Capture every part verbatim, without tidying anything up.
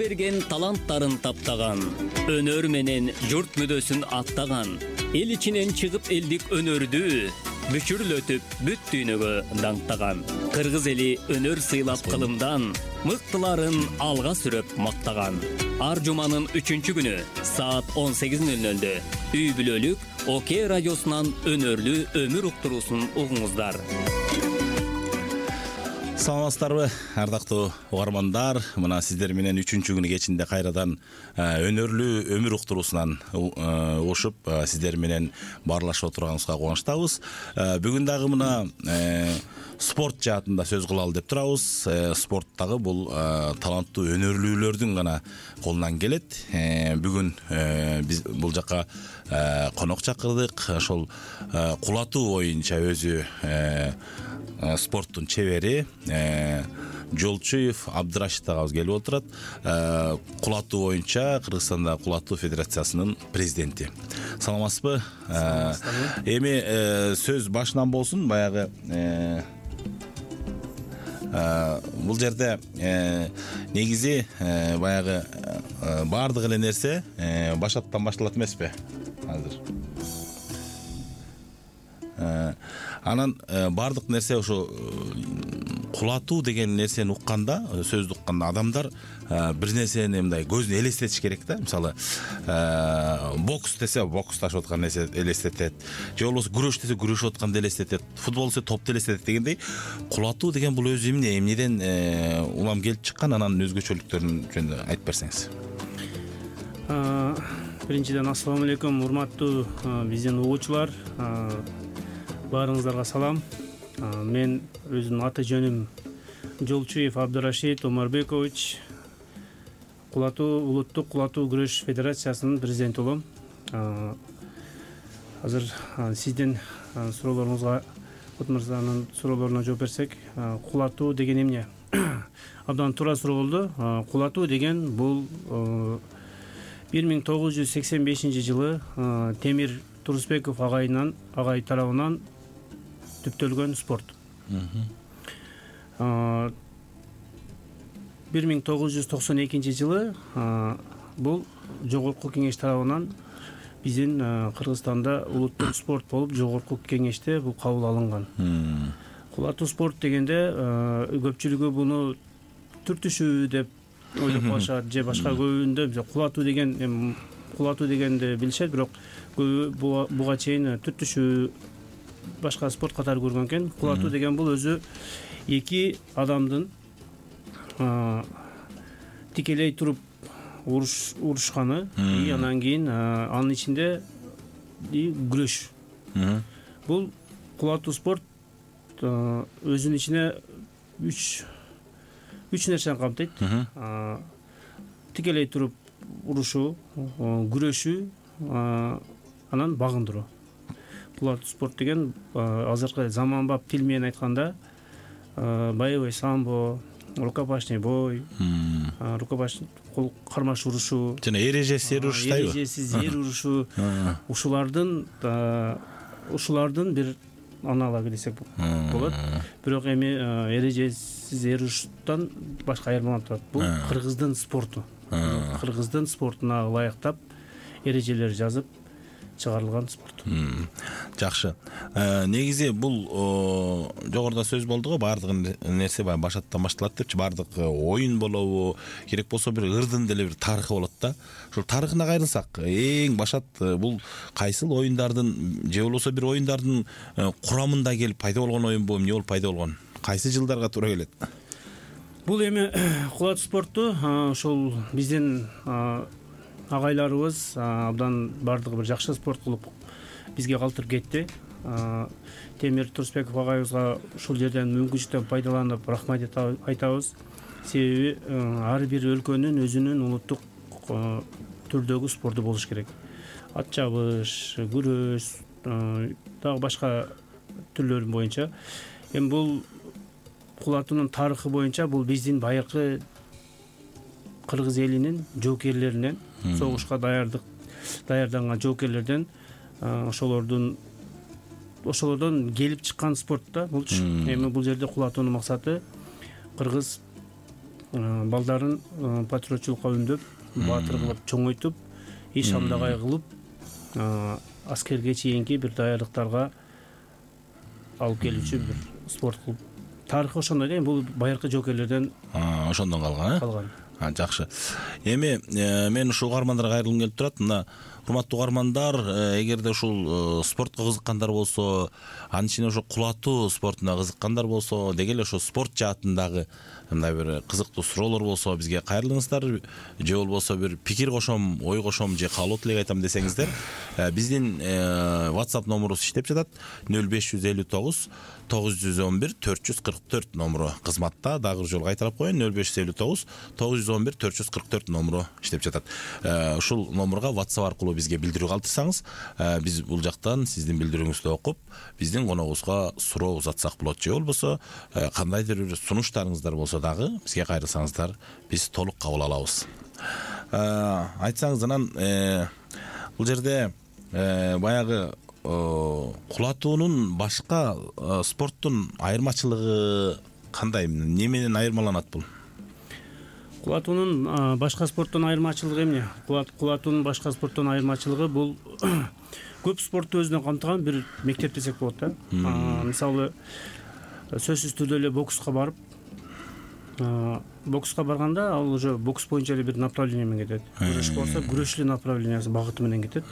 берген таланттарын таптаган, өнөр менен журт мүдөсүн аттаган, эл ичинен чыгып элдик өнөрдү бүчүрлөтүп бүт дүйнөгө даңктаган. Кыргыз эли өнөр сыйлап кылымдан, мыктыларын алга сүрөп мактаган. Ар жуманын үчүнчү күнү саат он сегиз нөл нөлдө үй бүлөлүк ОК радиосунан өнөрлүү өмүр уктуруусун угуңуздар. Саламатсыздарбы, ардактуу угармандар. Мына сиздер менен үчүнчү күнү кечинде кайрадан өнөрлүү өмүр уктуруусунан ушуп сиздер менен баарлашып отурганыбызга кубанычтабыз. Бүгүн дагы мына спорт жаатында сөз кылалы деп турабыз. Спорт дагы бул таланттуу өнөрлүүлөрдүн гана колунан келет. Бүгүн биз бул жака конок чакырдык. Ошол кулатуу боюнча өзү спорттун чебери Жолчуев Абдырашид агабыз келип отурат. Кулатуу боюнча Кыргызстанда кулатуу федерациясынын президенти. Саламатсызбы? Эми сөз башынан болсун. Баягы бул жерде негизи баягы баардык эле нерсе башаттан башталат эмеспи азыр? Анан баардык нерсе ошо кулатуу деген нерсени укканда, сөздү укканда адамдар бир нерсени мындай көзүнө элестетиш керек да. Мисалы, бокс десе бокс ташып аткан нерсе элестетет, же болбосо күрөш десе күрөшүп атканды элестетет, футбол десе топду элестетет дегендей, кулатуу деген бул өзү эмне, эмнеден улам келип чыккан, анан өзгөчөлүктөрүн жөнүндө айтып берсеңиз. Биринчиден ассаламу алейкум, урматтуу биздин угуучулар. Баарыңыздарга салам. Мен өзүмдүн аты жөнүм Жолчуев Абдырашид Омарбекович. Кулатуу улуттук кулатуу күрөш федерациясынын президенти болом. Азыр сиздин суроолоруңузга, Отмырзанын суроолоруна жооп берсек, кулатуу деген эмне? Абдан туура суроо болду. Кулатуу деген бул бир миң тогуз жүз сексен бешинчи жылы Темир Турусбеков агайынан агай тарабынан түптөлгөн спорт. бир миң тогуз жүз токсон экинчи жылы бул жогорку кеңеш тарабынан биздин Кыргызстанда улуттук спорт болуп, жогорку кеңеште бул кабыл алынган. Кулатуу спорт дегенде көпчүлүгү буну түртүшүү деп ойлоп калышат, же башка көбүндө кулатуу деген кулатуу дегенди билишет, бирок буга чейин түртүшүү, башка спорт катары көргөн экен. Кулатуу деген бул өзү эки адамдын тикелей туруп урушканы, и анан кийин анын ичинде күрөш. Бул кулатуу спорт өзүнүн ичине үч үч нерсени камтыйт. Тикелей туруп урушуу, күрөшүү, анан багындыруу. Кулатуу спорт деген азыркы заманбап тил менен айтканда боевой самбо, рукопашный бой, рукопашный кол кармаш урушуу, жана эрежесиз эр урушуштайбы? Эрежесиз эр урушуу, ушулардын ушулардын бир аналогу десек болот. Бирок эми эрежесиз эр уруштан башка айырмаланып турат. Бул Кыргыздын спорту. Кыргыздын спортуна ылайыктап эрежелер жазып чыгарылган спорт. Жакшы. Негизи бул жогоруда сөз болду го, баардык нерсе баягы башаттан башталат депчи, баардык оюн болобу, керек болсо бир ырдын деле бир тарыхы болот да. Ошол тарыхына кайрылсак, эң башат бул кайсыл оюндардын, же болбосо бир оюндардын курамында келип пайда болгон оюнбу, эмне болуп пайда болгон? Кайсы жылдарга туура келет? Бул эми кулатуу спорту ошол биздин агайларыбыз абдан бардыгы бир жакшы спорт кылып бизге калтырып кетти. Темир Турусбеков агайыбызга ушул жерден мүмкүнчүлүктөн пайдаланып рахмат айтабыз. Себеби ар бир өлкөнүн өзүнүн улуттук түрдөгү спорту болуш керек. Ат чабыш, күрөш, дагы башка түрлөр боюнча. Эми бул кулатуунун тарыхы боюнча бул биздин байыркы кыргыз элинин жоокерлеринен, согушка даярдык даярданган жоокерлерден, ошолордун ошолордон келип чыккан спорт да булчу. Эми бул жерде кулатуунун максаты кыргыз балдарын патриотчулукка үндөп, баатыр кылып чоңойтуп, иш амдагай кылып, аскерге чейинки бир даярдыктарга алып келүүчү бир спорт клуб. Тарыхы ошондой да, бул байыркы жоокерлерден ошондон калган, э? Калган. Жакшы. Эми мен ушул угармандарга кайрылгым келип турат. Мына урматтуу угармандар, эгерде ушул спортко кызыккандар болсо, анын ичинде ошо кулатуу спортуна кызыккандар болсо, деги эле ошо спорт жаатындагы мындай бир кызыктуу суроолор болсо бизге кайрылыңыздар, же болбосо бир пикир кошом, ой кошом же каалоо тилек айтам десеңиздер, биздин WhatsApp номурубуз иштеп жатат. нөл беш жүз элүү тогуз тогуз жүз он бир төрт жүз кырк төрт номуру кызматта. Дагы бир жолу кайталап коеюн. нөл беш жүз элүү тогуз тогуз жүз он бир төрт жүз кырк төрт номуру иштеп жатат. Ушул номурга WhatsApp аркылуу бизге билдирүү калтырсаңыз, биз бул жактан сиздин билдирүүңүздү окуп, биздин коногубузга суроо узатсак болот. Же болбосо кандайдыр бир сунуштарыңыздар болсо дагы бизге кайрылсаңыздар, биз толук кабыл алабыз. Айтсаңыз анан бул жерде баягы кулатуунун башка спорттун айырмачылыгы кандай? Не менен айырмаланат бул? Кулатуунун башка спорттон айырмачылыгы эмне? Кулатуунун башка спорттон айырмачылыгы бул көп спортту өзүнө камтыган бир мектеп десек болот да. Мисалы, сөзсүз түрдө эле бокска барып, бокска барганда ал уже бокс боюнча эле бир направление менен кетет. Күрөш болсо, күрөш эле направлениясы, багыты менен кетет.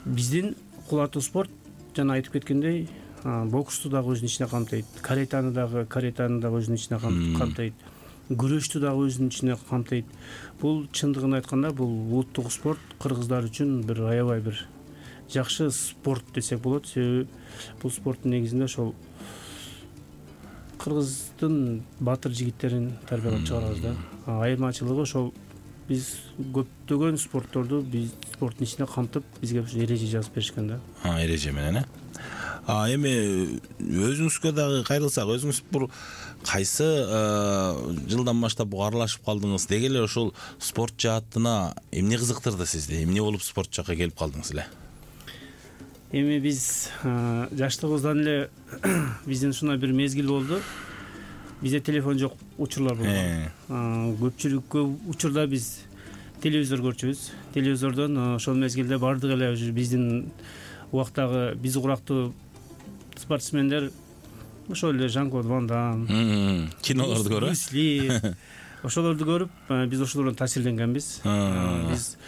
Биздин кулатуу спорт жана айтып кеткендей, боксту дагы өзүнүн ичине камтыйт, каретаны дагы каретаны дагы өзүнүн ичине камтыйт, күрөштү дагы өзүнүн ичине камтыйт. Бул чындыгын айтканда бул улуттук спорт кыргыздар үчүн бир аябай бир жакшы спорт десек болот. Себеби бул спорттун негизинде ошол кыргыздын баатыр жигиттерин тарбиялап чыгарабыз да. Айырмачылыгы ошол, биз көптөгөн спортторду биз спорттун ичине камтып, бизге эреже жазып беришкен да. А, эреже менен, э? А эми өзүңүзгө дагы кайрылсак, өзүңүз бул кайсы жылдан баштап буга аралашып калдыңыз? Деги эле ошол спорт жаатына эмне кызыктырды сизди? Эмне болуп спорт жакка келип калдыңыз эле? Эми биз жаштыгыбыздан эле биздин ушундай бир мезгил болду. Бизде телефон жок учурлар болгон. Көпчүлүк көп учурда биз телевизор көрчүбүз. Телевизордон ошол мезгилде бардык эле биздин убактагы биз урактуу спортсмендер ошол эле Жан-Клод Ван Дам, кинолорду көрүп, ошолорду көрүп, биз ошолордон таасирленгенбиз. Биз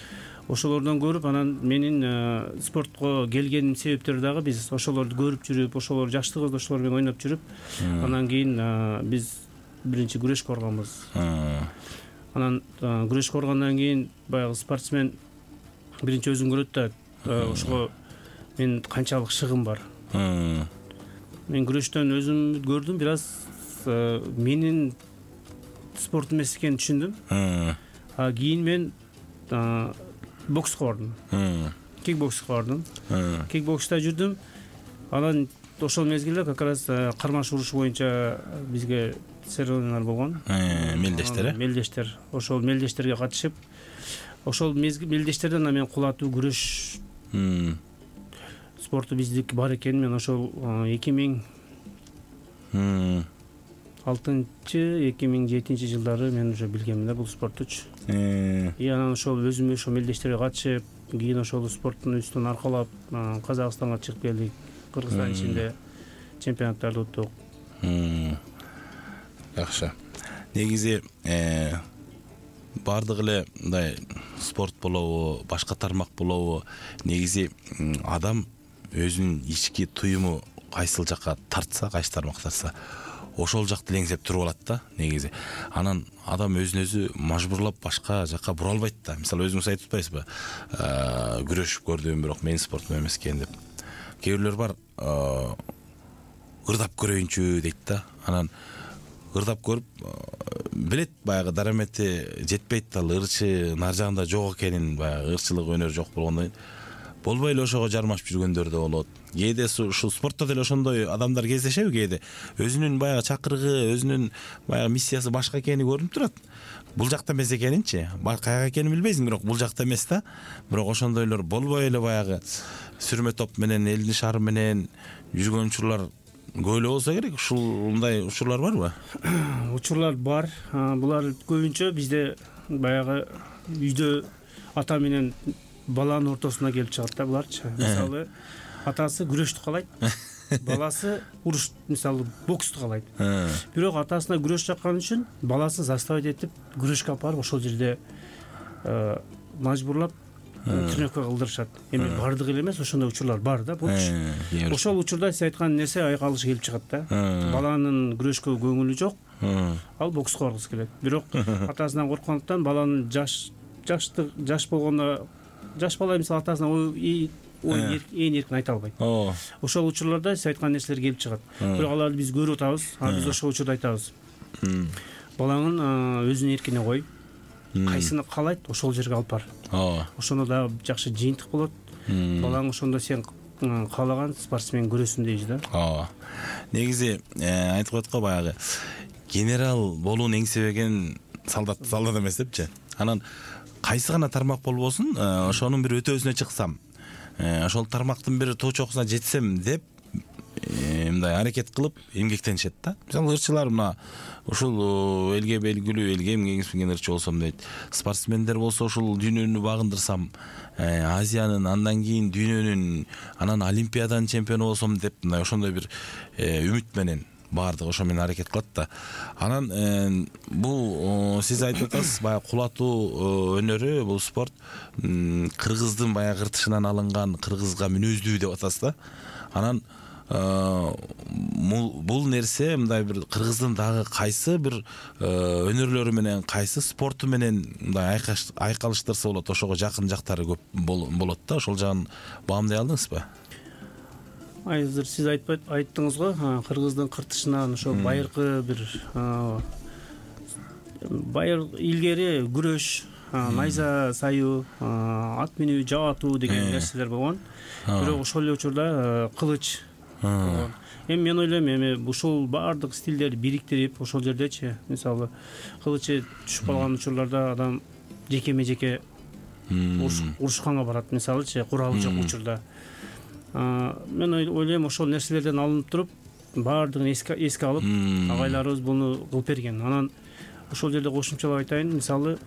ошолордон көрүп, анан менин спортко келгеним себептери дагы биз ошолорду көрүп жүрүп, ошолор жаштыгыбызда ошолор менен ойноп жүрүп, анан кийин биз биринчи күрөшкө барганбыз. Анан күрөшкө баргандан кийин баягы спортсмен биринчи өзүн көрөт да, ошого мен канчалык шыгым бар. Мен күрөштөн өзүм көрдүм, бир аз менин спортум эмес экенин түшүндүм. А кийин мен бокска бардым. Кикбокска бардым. Кикбокста жүрдүм. Анан ошол мезгилде как раз кармаш уруш боюнча бизге соревнованиялар болгон. Мелдештер, э? Мелдештер. Ошол мелдештерге катышып, ошол мелдештерден мен кулатуу күрөш спорту биздики бар экенин мен ошол эки миң алтынчы эки миң жетинчи жылдары мен уже билгенмин да бул спорттучу. И анан ошол өзүм ошол мелдештерге катышып, кийин ошол спорттун үстүн аркалап Казакстанга чыгып келдик. Кыргызстан ичинде чемпионаттарды уттук. Жакшы. Негизи бардык эле мындай спорт болобу, башка тармак болобу, негизи адам өзүнүн ички туюму кайсыл жакка тартса, кайсы тармак тартса, ошол жакты элеңсеп туруп алат да негизи. Анан адам өзүн өзү мажбурлап башка жакка бура албайт да. Мисалы өзүңүз айтып атпайсызбы? Күрөшүп көрдүм, бирок менин спортум эмес экен деп. Кээ бирлер бар, ырдап көрөйүнчү дейт да. Анан ырдап көрүп, билет баягы дарамети жетпейт, ал ырчы нар жагында жок экенин, баягы ырчылык өнөр жок болгондон кийин болбой эле ошого жармашып жүргөндөр да болот. Кээде ушул спортто деле ошондой адамдар кездешеби? Кээде өзүнүн баягы чакырыгы, өзүнүн баягы миссиясы башка экени көрүнүп турат. Бул жакта эмес экенинчи, каяка экенин билбейсиң, бирок бул жакта эмес да. Бирок ошондойлор болбой эле баягы сүрмө топ менен, элдин шары менен жүргөн учурлар көп эле болсо керек. Ушундай учурлар барбы? Учурлар бар. Булар көбүнчө бизде баягы үйдө ата менен баланын ортосуна келип чыгат да буларчы. Мисалы, атасы күрөштү каалайт, баласы уруш, мисалы, боксту каалайт. Бирок атасына күрөш жаккан үчүн баласын заставить этип күрөшкө алып барып ошол жерде мажбурлап тренировка кылдырышат. Эми бардыгы эле эмес, ошондой учурлар бар да, болчу. Ошол учурда сиз айткан нерсе айкалыш келип чыгат да. Баланын күрөшкө көңүлү жок, ал бокска баргысы келет. Бирок атасынан корккондуктан баланын жаш жаштык жаш болгондо жаш бала мисалы атасына ой ээн эркин айта албайт. Ошол учурларда сиз айткан нерселер келип чыгат. Бирок аларды биз көрүп атабыз. Биз ошол учурда айтабыз. Балаңын өзүнүн эркине кой. Кайсыны каалайт, ошол жерге алып бар. Ошондо дагы жакшы жыйынтык болот. Балаң ошондо сен каалаган спортсмен көрөсүң дейбиз да. Негизи айтып коет го баягы генерал болууну эңсебеген солдат солдат эмес депчи. Анан кайсы гана тармак болбосун, ошонун бир өтөөсүнө чыксам, ошол тармактын бир тоо чокусуна жетсем деп мындай аракет кылып эмгектенишет да. Мисалы, ырчылар мына ушул элге белгилүү, элге эмгегиңиз ырчы болсом дейт. Спортсмендер болсо ушул дүйнөнү багындырсам, Азиянын, андан кийин дүйнөнүн, анан Олимпиаданын чемпиону болсом деп, мындай ошондой бир үмүт менен баардыгы ошо менен аракет кылат да. Анан бул сиз айтып атасыз, баягы кулатуу өнөрү, бул спорт кыргыздын баягы ыртышынан алынган, кыргызга мүнөздүү деп атасыз да. Анан бул нерсе мындай бир кыргыздын дагы кайсы бир өнөрлөрү менен, кайсы спорту менен мындай айкалыштырса болот, ошого жакын жактары көп болот да. Ошол жагын баамдай алдыңызбы? Азыр сиз айтпайт айттыңыз го, кыргыздын кыртышынан ошо байыркы бир байыр илгери күрөш, найза саюу, ат минүү, жап атуу деген нерселер болгон. Бирок ошол эле учурда кылыч. Эми мен ойлойм, эми ушул баардык стилдерди бириктирип, ошол жердечи, мисалы, кылычы түшүп калган учурларда адам жекеме жеке урушканга барат, мисалычы, куралы жок учурда. Мен ойлойм, ошол нерселерден алынып туруп, баардыгын эске алып, агайларыбыз буну кылып берген. Анан ошол жерде кошумчалап айтайын, мисалы,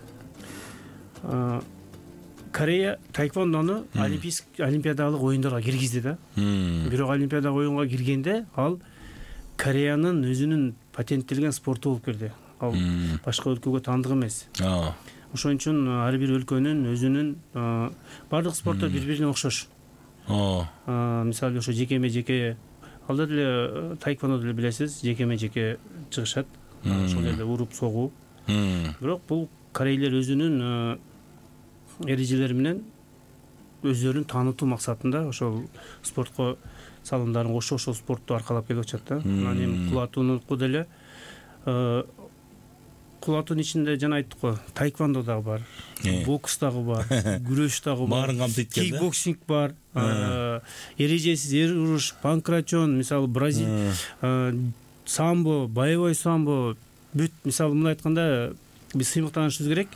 Корея таэквондону олимпиадалык оюндарга киргизди да. Бирок олимпиадалык оюнга киргенде ал Кореянын өзүнүн патенттелген спорту болуп кирди. Ал башка өлкөгө таандык эмес. Ошон үчүн ар бир өлкөнүн өзүнүн баардык спорттор бири-бирине окшош. Мисалы, ошо жекеме жеке, алда деле таэквондо деле билесиз, жекеме жеке чыгышат. Ошол жерде уруп согуу. Бирок бул корейлер өзүнүн эрежелери менен өздөрүн таанытуу максатында ошол спортко салымдарын кошуп, ошол спортту аркалап келип атышат да. Анан эми кулатуунуку деле кулатуунун ичинде жана айттык го, таэквондо дагы бар, бокс дагы бар, күрөш дагы бар, баарын камтыйт экен да. Кикбоксинг бар, эрежесиз эр уруш, панкратион, мисалы, бразил, самбо, боевой самбо, бүт, мисалы, муну айтканда биз сыймыктанышыбыз керек.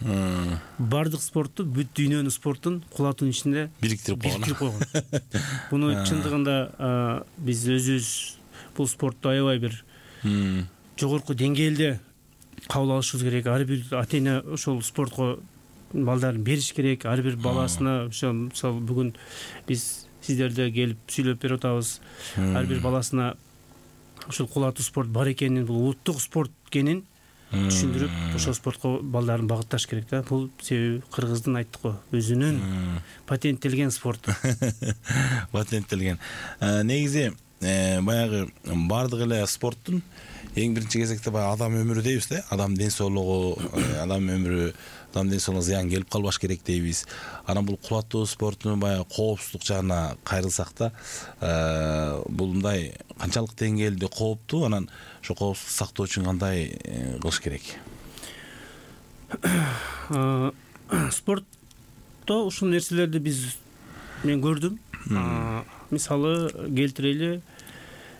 Бардык спортту, бүт дүйнөнүн спортун кулатуунун ичинде бириктирип койгон. Буну чындыгында биз өзүбүз бул спортту аябай бир жогорку деңгээлде кабыл алышыбыз керек. Ар бир ата-эне ошол спортко балдарын бериш керек. Ар бир баласына, ошо мисалы бүгүн биз сиздерде келип сүйлөп берип атабыз. Ар бир баласына ушул кулатуу спорт бар экенин, бул улуттук спорт экенин түшүндүрүп, ошол спортко балдарын багытташ керек да. Бул себеби кыргыздын, айттык го, өзүнүн патенттелген спорту. Патенттелген. Негизи баягы бардык эле спорттун эң биринчи кезекте баягы адам өмүрү дейбиз да. Адам ден соолугу, адам өмүрү, адам ден соолугуна зыян келип калбаш керек дейбиз. Анан бул кулатуу спорттун баягы коопсуздук жагына кайрылсак да, бул мындай канчалык деңгээлде кооптуу, анан ошо коопсуздук сактоо үчүн кандай кылыш керек? Спортто ушул нерселерди биз мен көрдүм. Мисалы келтирели,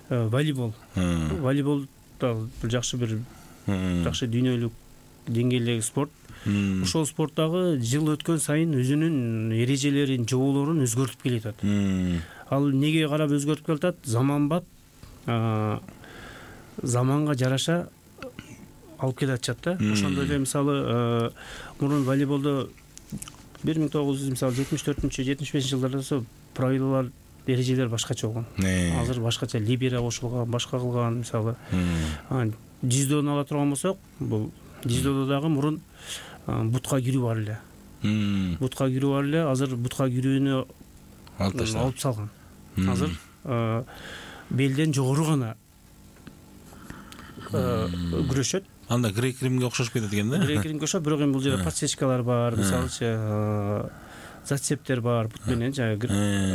волейбол. Волейбол бул жакшы бир жакшы дүйнөлүк деңгээлдеги спорт. Ошол спорт дагы жыл өткөн сайын өзүнүн эрежелерин, жоболорун өзгөртүп келатат. Ал неге карап өзгөртүп келатат? Заманбап заманга жараша алып келе атышат да. Ошондой эле мисалы мурун волейболдо бир миң тогуз жүз мисалы жетимиш төртүнчү жетимиш бешинчи жылдарда болсо правилалар эрежелер башкача болгон. Азыр башкача либера кошулган, башка кылган мисалы. Дзюдону ала турган болсок, бул дзюдодо дагы мурун бутка кирүү бар эле. Бутка кирүү бар эле, азыр бутка кирүүнү алып салган. Азыр белден жогору гана күрөшөт. Анда грек римге окшош кетет экен да. Грек римге окшоп, бирок эми бул жерде подсечкалар бар, мисалычы зацептер бар, бут менен жанагы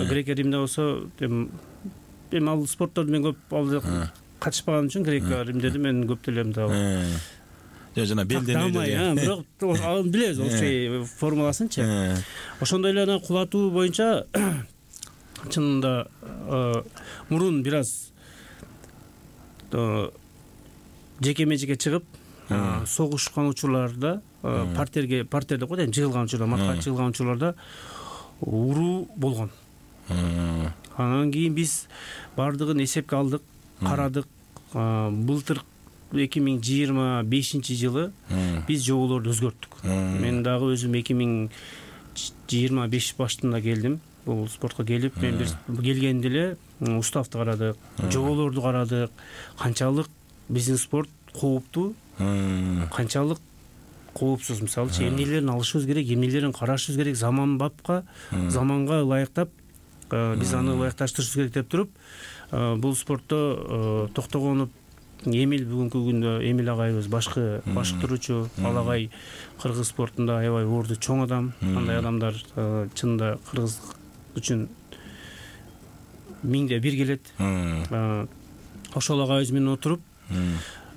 грек римде болсо эми ал спортторду мен көп ал катышпаган үчүн грек римдеди мен көп деле мындай жана жана белден өйдө, бирок аны билебиз общий формуласынчы. Ошондой эле анан кулатуу боюнча чынында мурун бир аз жеке-мечеге чыгып согушкан учурларда партерге партерде го дейм, жыгылган учурда, матка жыгылган учурларда уруу болгон. Анан кийин биз бардыгын эсепке алдык, карадык. Былтыр эки миң жыйырма бешинчи жылы биз жоболорду өзгөрттүк. Мен дагы өзүм эки миң жыйырма беш башында келдим. Бул спортко келип, мен бир келгенде эле уставды карадык, жоболорду карадык. Канчалык биздин спорт кооптуу, канчалык коопсуз. Мисалы, эмнелерин алышыбыз керек, эмнелерин карашыбыз керек, заманбапка, заманга ылайыктап биз аны ылайыкташтырышыбыз керек деп туруп, бул спортто токтогонуп Эмил бүгүнкү күндө Эмил агайыбыз башкы башкаруучу, ал агай кыргыз спортунда аябай орду чоң адам. Андай адамдар чынында кыргыз үчүн миңде бир келет. Ошол агайыбыз менен отуруп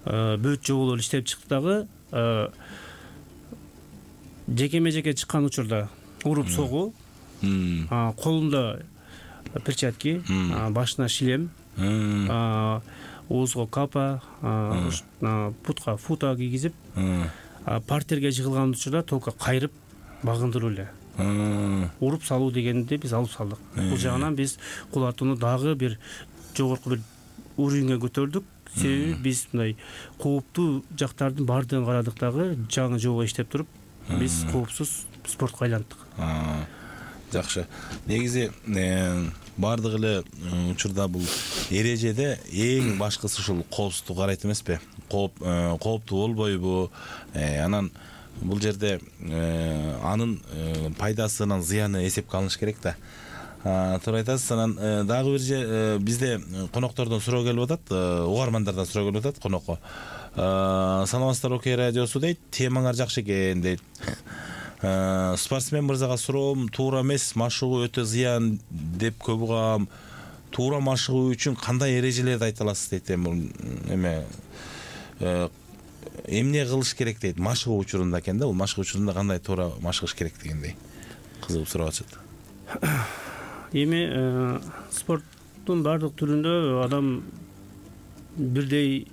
бөт жоболор иштеп чыкты дагы. Жеке-межеке чыккан учурда уруп согуу, колунда перчатки, башына шлем, оозго капа, бутка фута кийгизип, партерге жыгылган учурда только кайрып багындыруу эле. Уруп салуу дегенди биз алып салдык. Бул жагынан биз кулатууну дагы бир жогорку бир уровеньге көтөрдүк. Себеби биз мындай кооптуу жактардын баардыгын карадык дагы, жаңы жобо иштеп туруп, биз коопсуз спортко айландык. Жакшы. Негизи баардык эле учурда бул эрежеде эң башкысы ушул коопсуздук карайт эмеспи? Кооп кооптуу болбойбу? Анан бул жерде анын пайдасынан зыяны эсепке алыныш керек да. Туура айтасыз. Анан дагы бир же бизде коноктордон суроо келип атат, угармандардан суроо келип атат конокко. Саламатсыздар, Окей радиосу дейт, темаңар жакшы экен дейт. Спортсмен мырзага суроом, туура эмес, машыгуу өтө зыян деп көп угам. Туура машыгуу үчүн кандай эрежелерди айта аласыз дейт. Эме эмне кылыш керек дейт машыгуу учурунда экен да. Бул машыгуу учурунда кандай туура машыгыш керек дегендей кызыгып сурап атышат. Эми спорттун бардык түрүндө адам бирдей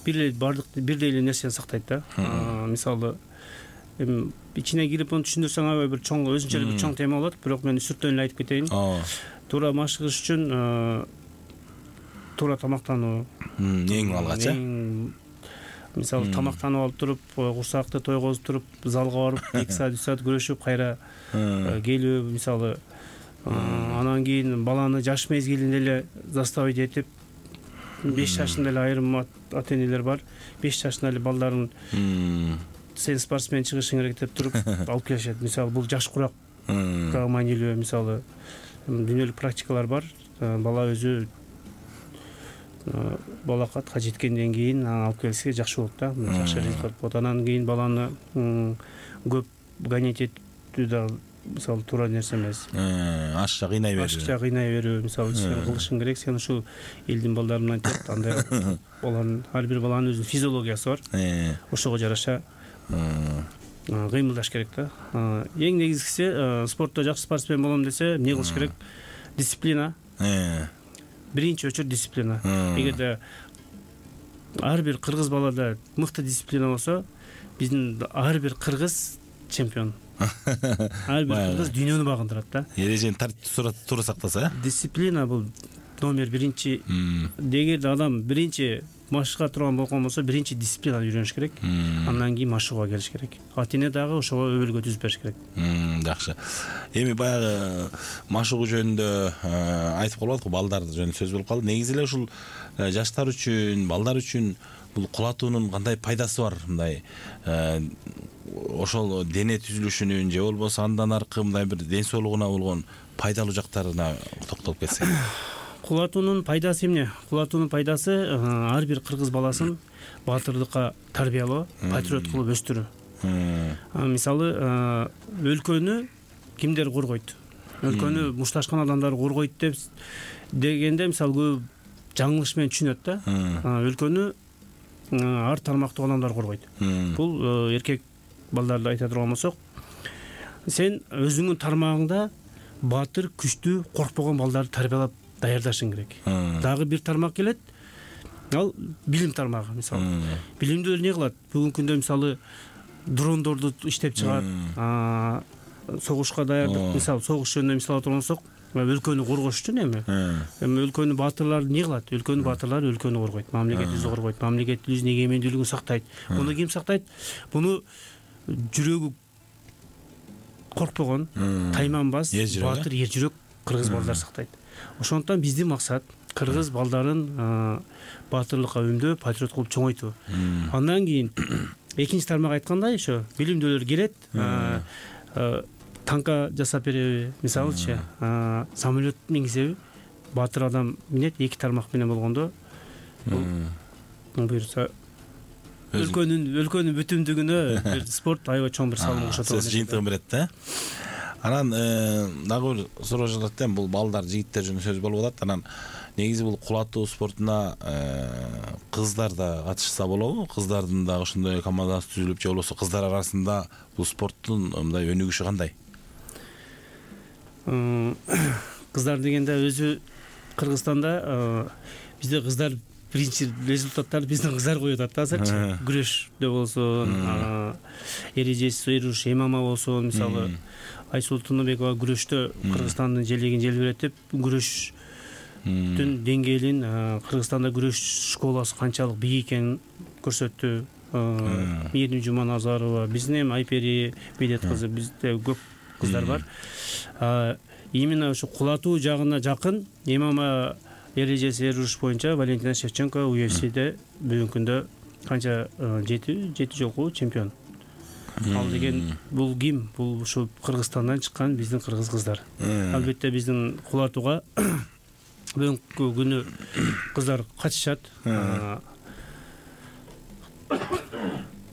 бир эле бардык бирдей эле нерсени сактайт да. Мисалы, эми ичине кирип аны түшүндүрсөң аябай бир чоң, өзүнчө эле бир чоң тема болот, бирок мен сүртөн эле айтып кетейин. Туура машыгыш үчүн туура тамактануу эң алгачы. Мисалы, тамактанып алып туруп, курсакты тойгозуп туруп, залга барып эки саат үч саат күрөшүп, кайра келүү, мисалы, анан кийин баланы жаш мезгилинде эле заставить этип, беш жашында эле айрым ата-энелер бар, беш жашында эле балдарын сен спортсмен чыгышың керек деп туруп алып келишет. Мисалы, бул жаш куракка маанилүү, мисалы, дүйнөлүк практикалар бар. Бала өзү балакатка жеткенден кийин алып келсе жакшы болот да, жакшы результат болот. Анан кийин баланы көп гонять этүү да, мисалы, туура нерсе эмес. Ашча кыйнай берүү. Ашча кыйнай берүү, мисалы, сен кылышың керек, сен ушул элдин балдарын айтат, андай баланын, ар бир баланын өзүнүн физиологиясы бар. Ошого жараша кыймылдаш керек да. Эң негизгиси, спортто жакшы спортсмен болом десе, эмне кылыш керек? Дисциплина. Биринчи очередь дисциплина. Эгерде ар бир кыргыз балада мыкты дисциплина болсо, биздин ар бир кыргыз чемпион. Ар бир кыргыз дүйнөнү багындырат да. Эрежени туура сактаса, дисциплина бул номер биринчи эгер адам биринчи машыкка турган болгон болсо биринчи дисциплинаны үйрөнүш керек, андан кийин машыгууга келиш керек. Ата эне дагы ошого өбөлгө түзүп бериш керек. Жакшы. Эми баягы машыгуу жөнүндө айтып калбадык, балдар жөнүндө сөз болуп калды. Негизи эле ушул жаштар үчүн, балдар үчүн бул кулатуунун кандай пайдасы бар? Мындай ошол дене түзүлүшүнүн же болбосо андан аркы мындай бир ден соолугуна болгон пайдалуу жактарына токтолуп кетсек. Кулатуунун пайдасы эмне? Кулатуунун пайдасы ар бир кыргыз баласын баатырлыкка тарбиялоо, патриот кылып өстүрүү. Мисалы, өлкөнү кимдер коргойт? Өлкөнү мушташкан адамдар коргойт деп дегенде, мисалы, көп жаңылыш менен түшүнөт да. Өлкөнү ар тармактуу адамдар коргойт. Бул эркек балдарды айта турган болсок, сен өзүңүн тармагыңда баатыр, күчтүү, коркпогон балдарды тарбиялап даярдашың керек. Дагы бир тармак келет, ал билим тармагы. Мисалы, билимдүүлөр эмне кылат? Бүгүнкү күндө мисалы дрондорду иштеп чыгат, согушка даярдык, мисалы, согуш жөнүндө мисал алып турсак, өлкөнү коргош үчүн эми. Эми өлкөнү баатырлар эмне кылат? Өлкөнү баатырлары өлкөнү коргойт, мамлекетибизди коргойт, мамлекетибиздин эгемендүүлүгүн сактайт. Муну ким сактайт? Буну жүрөгү коркпогон, тайманбас, баатыр, эр жүрөк кыргыз балдар сактайт. Ошондуктан биздин максат кыргыз балдарын баатырлыкка өмдөө, патриот кылып чоңойтуу. Андан кийин экинчи тармак айткандай, ошо билимдүүлөр келет, танка жасап береби, мисалычы, самолет мингизеби, баатыр адам минет, эки тармак менен болгондо, буюрса өлкөнүн өлкөнүн бүтүндүгүнө бир спорт аябай чоң бир салым кошот. Сөз жыйынтыгын берет да. Анан дагы бир суроо жатат эми, бул балдар, жигиттер жөнүндө сөз болуп атат. Анан негизи бул кулатуу спортуна кыздар да катышса болобу? Кыздардын да ошондой командасы түзүлүп, же болбосо кыздар арасында бул спорттун мындай өнүгүшү кандай? Кыздар дегенде өзү Кыргызстанда бизде кыздар биринчи результаттарды биздин кыздар коюп атат да азырчы. Күрөштө болсун, эрежеси эруш, эмама болсун, мисалы Айсул Тунубекова күрөштө Кыргызстандын желегин желбиретип, күрөштүн деңгээлин, Кыргызстанда күрөш школасы канчалык бийик экенин көрсөттү. Мээрим Жуманазарова, биздин эми Айпери Медет кызы, бизде көп кыздар бар. Именно ошо кулатуу жагына жакын эмама эрежеси эруш боюнча Валентина Шевченко ю эф сиде бүгүнкү күндө канча жети жети жолку чемпион. Ал деген бул ким? Бул ушу Кыргызстандан чыккан биздин кыргыз кыздар. Албетте биздин кулатууга бүгүнкү күнү кыздар катышат.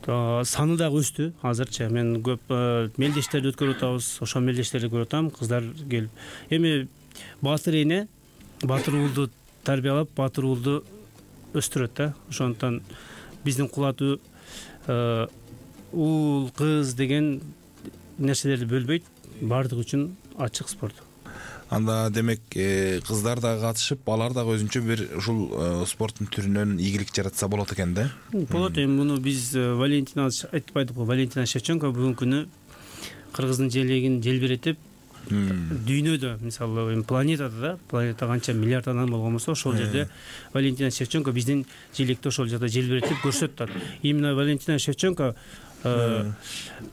Саны дагы өстү азырчы. Мен көп мелдештерди өткөрүп атабыз. Ошол мелдештерди көрүп атам, кыздар келип. Эми баатыр эне баатыр уулду тарбиялап, баатыр уулду өстүрөт да. Ошондуктан биздин кулатуу уул, кыз деген нерселерди бөлбөйт, баардыгы үчүн ачык спорт. Анда демек кыздар дагы катышып, алар дагы өзүнчө бир ушул спорттун түрүнөн ийгилик жаратса болот экен да. Болот. Эми муну биз Валентина айтпайдыкпы, Валентина Шевченко бүгүнкү күнү Кыргыздын желегин желбиретип, дүйнөдө, мисалы, планетада да, планета канча миллиард адам болгон болсо, ошол жерде Валентина Шевченко биздин желекти ошол жерде желбиретип көрсөтүп атат. Именно Валентина Шевченко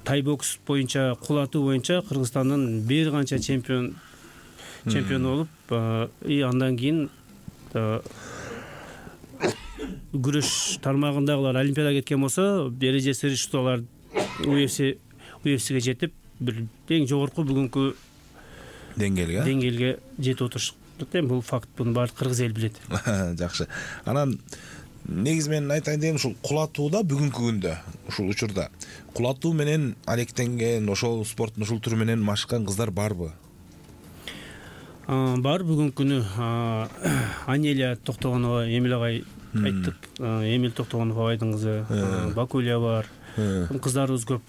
тайбокс боюнча, кулатуу боюнча Кыргызстандын бир канча чемпион чемпиону болуп, и андан кийин күрөш тармагындагылар Олимпиадага кеткен болсо, эрежеси алар ю эф сиге жетип, бир эң жогорку бүгүнкү деңгээлге деңгээлге жетип отурушат. Эми бул факт, буну баары кыргыз эл билет. Жакшы. Анан негизи мен айтайын дегеним, ушул кулатууда бүгүнкү күндө, ушул учурда кулатуу менен алектенген, ошол спорттун ушул түрү менен машыккан кыздар барбы? Бар. Бүгүнкү күнү Анелия Токтогонова, Эмил агай айттык, Эмил Токтогонов агайдын кызы, Бакулия бар. Кыздарыбыз көп.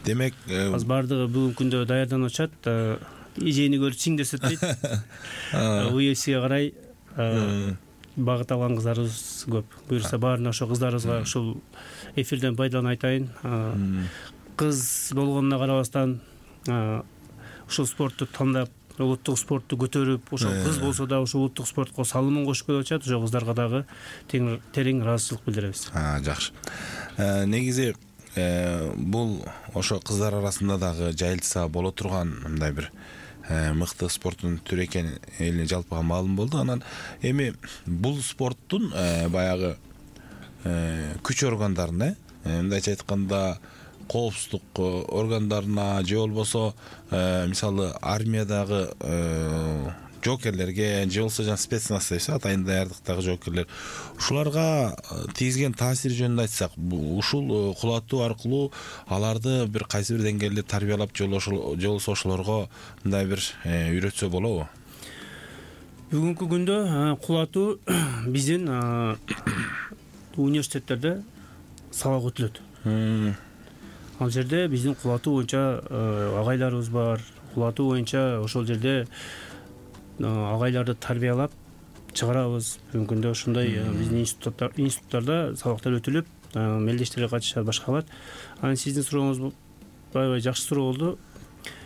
Демек, азыр бардыгы бүгүнкү күндө даярданып атышат. Эжени көрүп чиң десет дейт. ю эф сиге карай багыт алган кыздарыбыз көп. Буюрса баарына ошо кыздарыбызга ушул эфирден пайдаланып айтайын. Кыз болгонуна карабастан ушул спортту тандап, улуттук спортту көтөрүп, ошол кыз болсо да ошо улуттук спортко салымын кошуп келип атышат. Ошо кыздарга дагы терең ыраазычылык билдиребиз. Жакшы. Негизи бул ошо кыздар арасында дагы жайылтса боло турган мындай бир мыкты спорттун түрү экени элине жалпыга маалым болду. Анан эми бул спорттун баягы күч органдарына, мындайча айтканда, коопсуздук органдарына же болбосо мисалы армиядагы жоокерлерге же болбосо жана спецназ дейбиз, атайын даярдыктагы жоокерлер, ушуларга тийгизген таасири жөнүндө айтсак, ушул кулатуу аркылуу аларды бир кайсы бир деңгээлде тарбиялап же болбосо ошолорго мындай бир үйрөтсө болобу? Бүгүнкү күндө кулатуу биздин университеттерде сабак өтүлөт. Ал жерде биздин кулатуу боюнча агайларыбыз бар. Кулатуу боюнча ошол жерде агайларды тарбиялап чыгарабыз. Бүгүнкү күндө ушундай биздин институттарда сабактар өтүлүп, мелдештерге катышат, башкалар. Анан сиздин сурооңуз аябай жакшы суроо болду.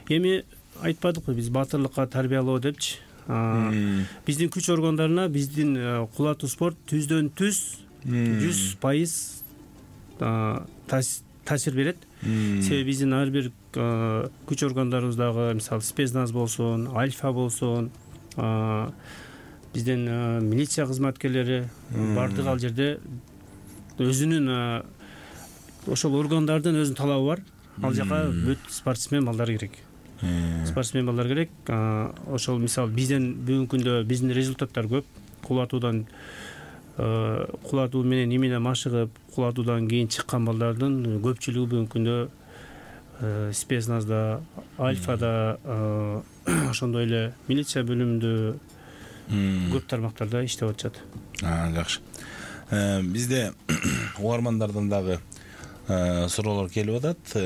Эми айтпадыкпы биз баатырлыкка тарбиялоо депчи. Биздин күч органдарына биздин кулатуу спорт түздөн түз жүз пайыз таасир берет. Себеби биздин ар бир күч органдарыбыздагы, мисалы спецназ болсун, альфа болсун, биздин милиция кызматкерлери бардыгы ал жерде өзүнүн ошол органдардын өзүнүн талабы бар. Ал жака бүт спортсмен балдар керек. Спортсмен балдар керек. Ошол мисалы бизден бүгүнкү күндө биздин результаттар көп. Кулатуудан кулатуу менен эмне машыгып, кулатуудан кийин чыккан балдардын көпчүлүгү бүгүнкү күндө спецназда, альфада, ошондой эле милиция бөлүмүндө көп тармактарда иштеп атышат. Жакшы. Бизде угармандардан дагы суроолор келип атат.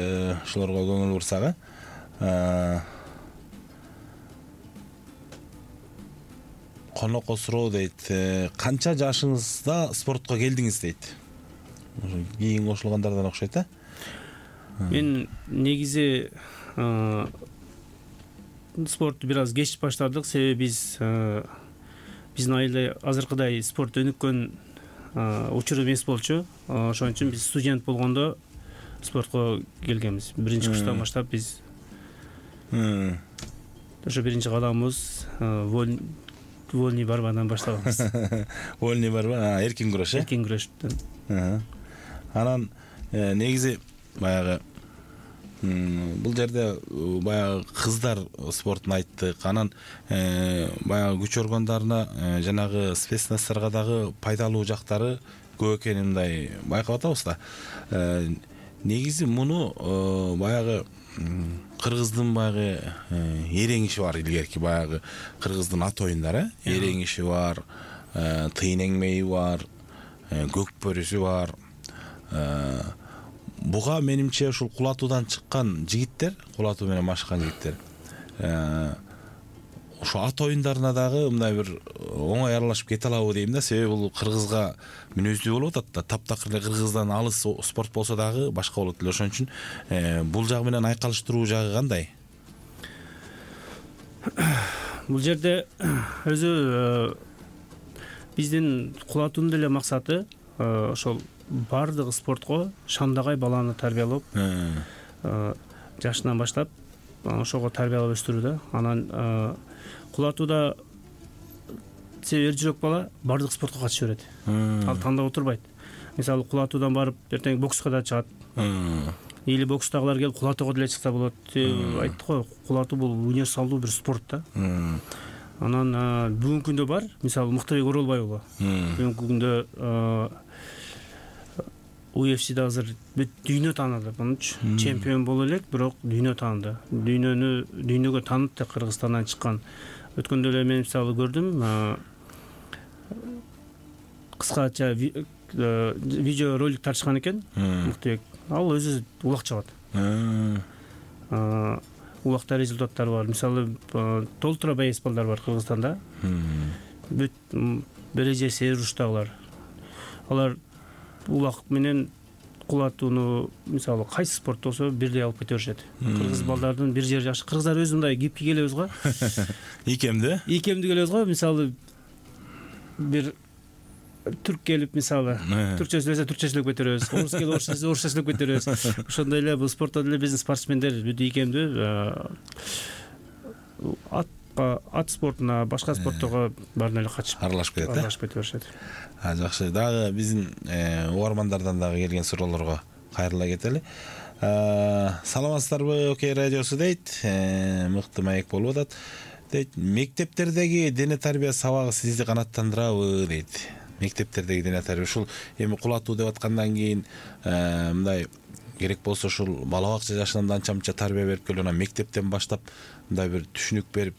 Ошолорго көңүл бурсак. Конокко суроо дейт. Канча жашыңызда спортко келдиңиз дейт. Кийин кошулгандардан окшойт, а? Мен негизи спортту бир аз кеч баштадык, себеби биз биздин айылда азыркыдай спорт өнүккөн учур эмес болчу. Ошон үчүн биз студент болгондо спортко келгенбиз. Биринчи курстан баштап биз ошо биринчи кадамыбыз вольный борьбадан баштаганбыз. Вольный борьба, эркин күрөш, э? Эркин күрөштөн. Анан негизи баягы бул жерде баягы кыздар спортун айттык. Анан баягы күч органдарына, жанагы спецназдарга дагы пайдалуу жактары көп экенин мындай байкап атабыз да. Негизи муну баягы кыргыздын баягы эрең иши бар, илгерки баягы кыргыздын ат оюндары, эрең иши бар, тыйын эңмеи бар, көк бөрүсү бар. Буга менимче ушул кулатуудан чыккан жигиттер, кулатуу менен машыккан жигиттер, ошо ат оюндарына дагы мындай бир оңой аралашып кете алабы дейм да. Себеби бул кыргызга мүнөздүү болуп атат да. Таптакыр эле кыргыздан алыс спорт болсо дагы башка болот эле. Ошон үчүн бул жагы менен айкалыштыруу жагы кандай? Бул жерде өзү биздин кулатуунун деле максаты ошол бардык спортко шамдагай баланы тарбиялап, жашынан баштап ошого тарбиялап өстүрүү да. Анан кулатууда эр жүрөк бала бардык спортко катыша берет. Ал тандап отурбайт. Мисалы кулатуудан барып эртең бокска да чыгат. Или бокстагылар келип кулатууга деле чыкса болот. Айттык го, кулатуу бул универсалдуу бир спорт да. Анан бүгүнкү күндө бар, мисалы Мыктыбек Оролбай уулу. Бүгүнкү күндө у эф си да азыр бүт дүйнө тааныды. Мунчу чемпион боло элек, бирок дүйнө тааныды. Дүйнөнү дүйнөгө таанытты Кыргызстандан чыккан. Өткөндө эле мен мисалы көрдүм, кыскача видео ролик тартышкан экен Мыктыбек. Ал өзү улак чабат. Улакта результаттары бар. Мисалы толтура бейсболдар бар Кыргызстанда. Бүт бережеси эр уруштагылар. Алар улак менен кулатууну мисалы кайсы спорт болсо бирдей алып кете беришет. Кыргыз балдардын бир жери жакшы. Кыргыздар өзү мындай кипки келебиз го. Икемди? Икемди келебиз го. Мисалы бир түрк келип мисалы түркчө сөйлөсө түркчө сүйлөп кетеребиз. Орус келип орусча сөйлөсө орусча сүйлөп кетеребиз. Ошондой эле бул спортто деле биздин спортсмендер бүт икемдүү. Ат ат спортуна, башка спортторго баарына эле катышып аралашып кетет. Аралашып кете беришет. А жакшы. Дагы биздин угармандардан дагы келген суроолорго кайрыла кетели. Саламатсыздарбы, Окей радиосу дейт. Мыкты маек болуп атат. Дейт, мектептердеги дене тарбия сабагы сизди канааттандырабы дейт. Мектептердеги дене тарбия ушул эми кулатуу деп аткандан кийин мындай керек болсо ушул бала бакча жашынан анча-мынча тарбия берип келип, анан мектептен баштап мындай бир түшүнүк берип,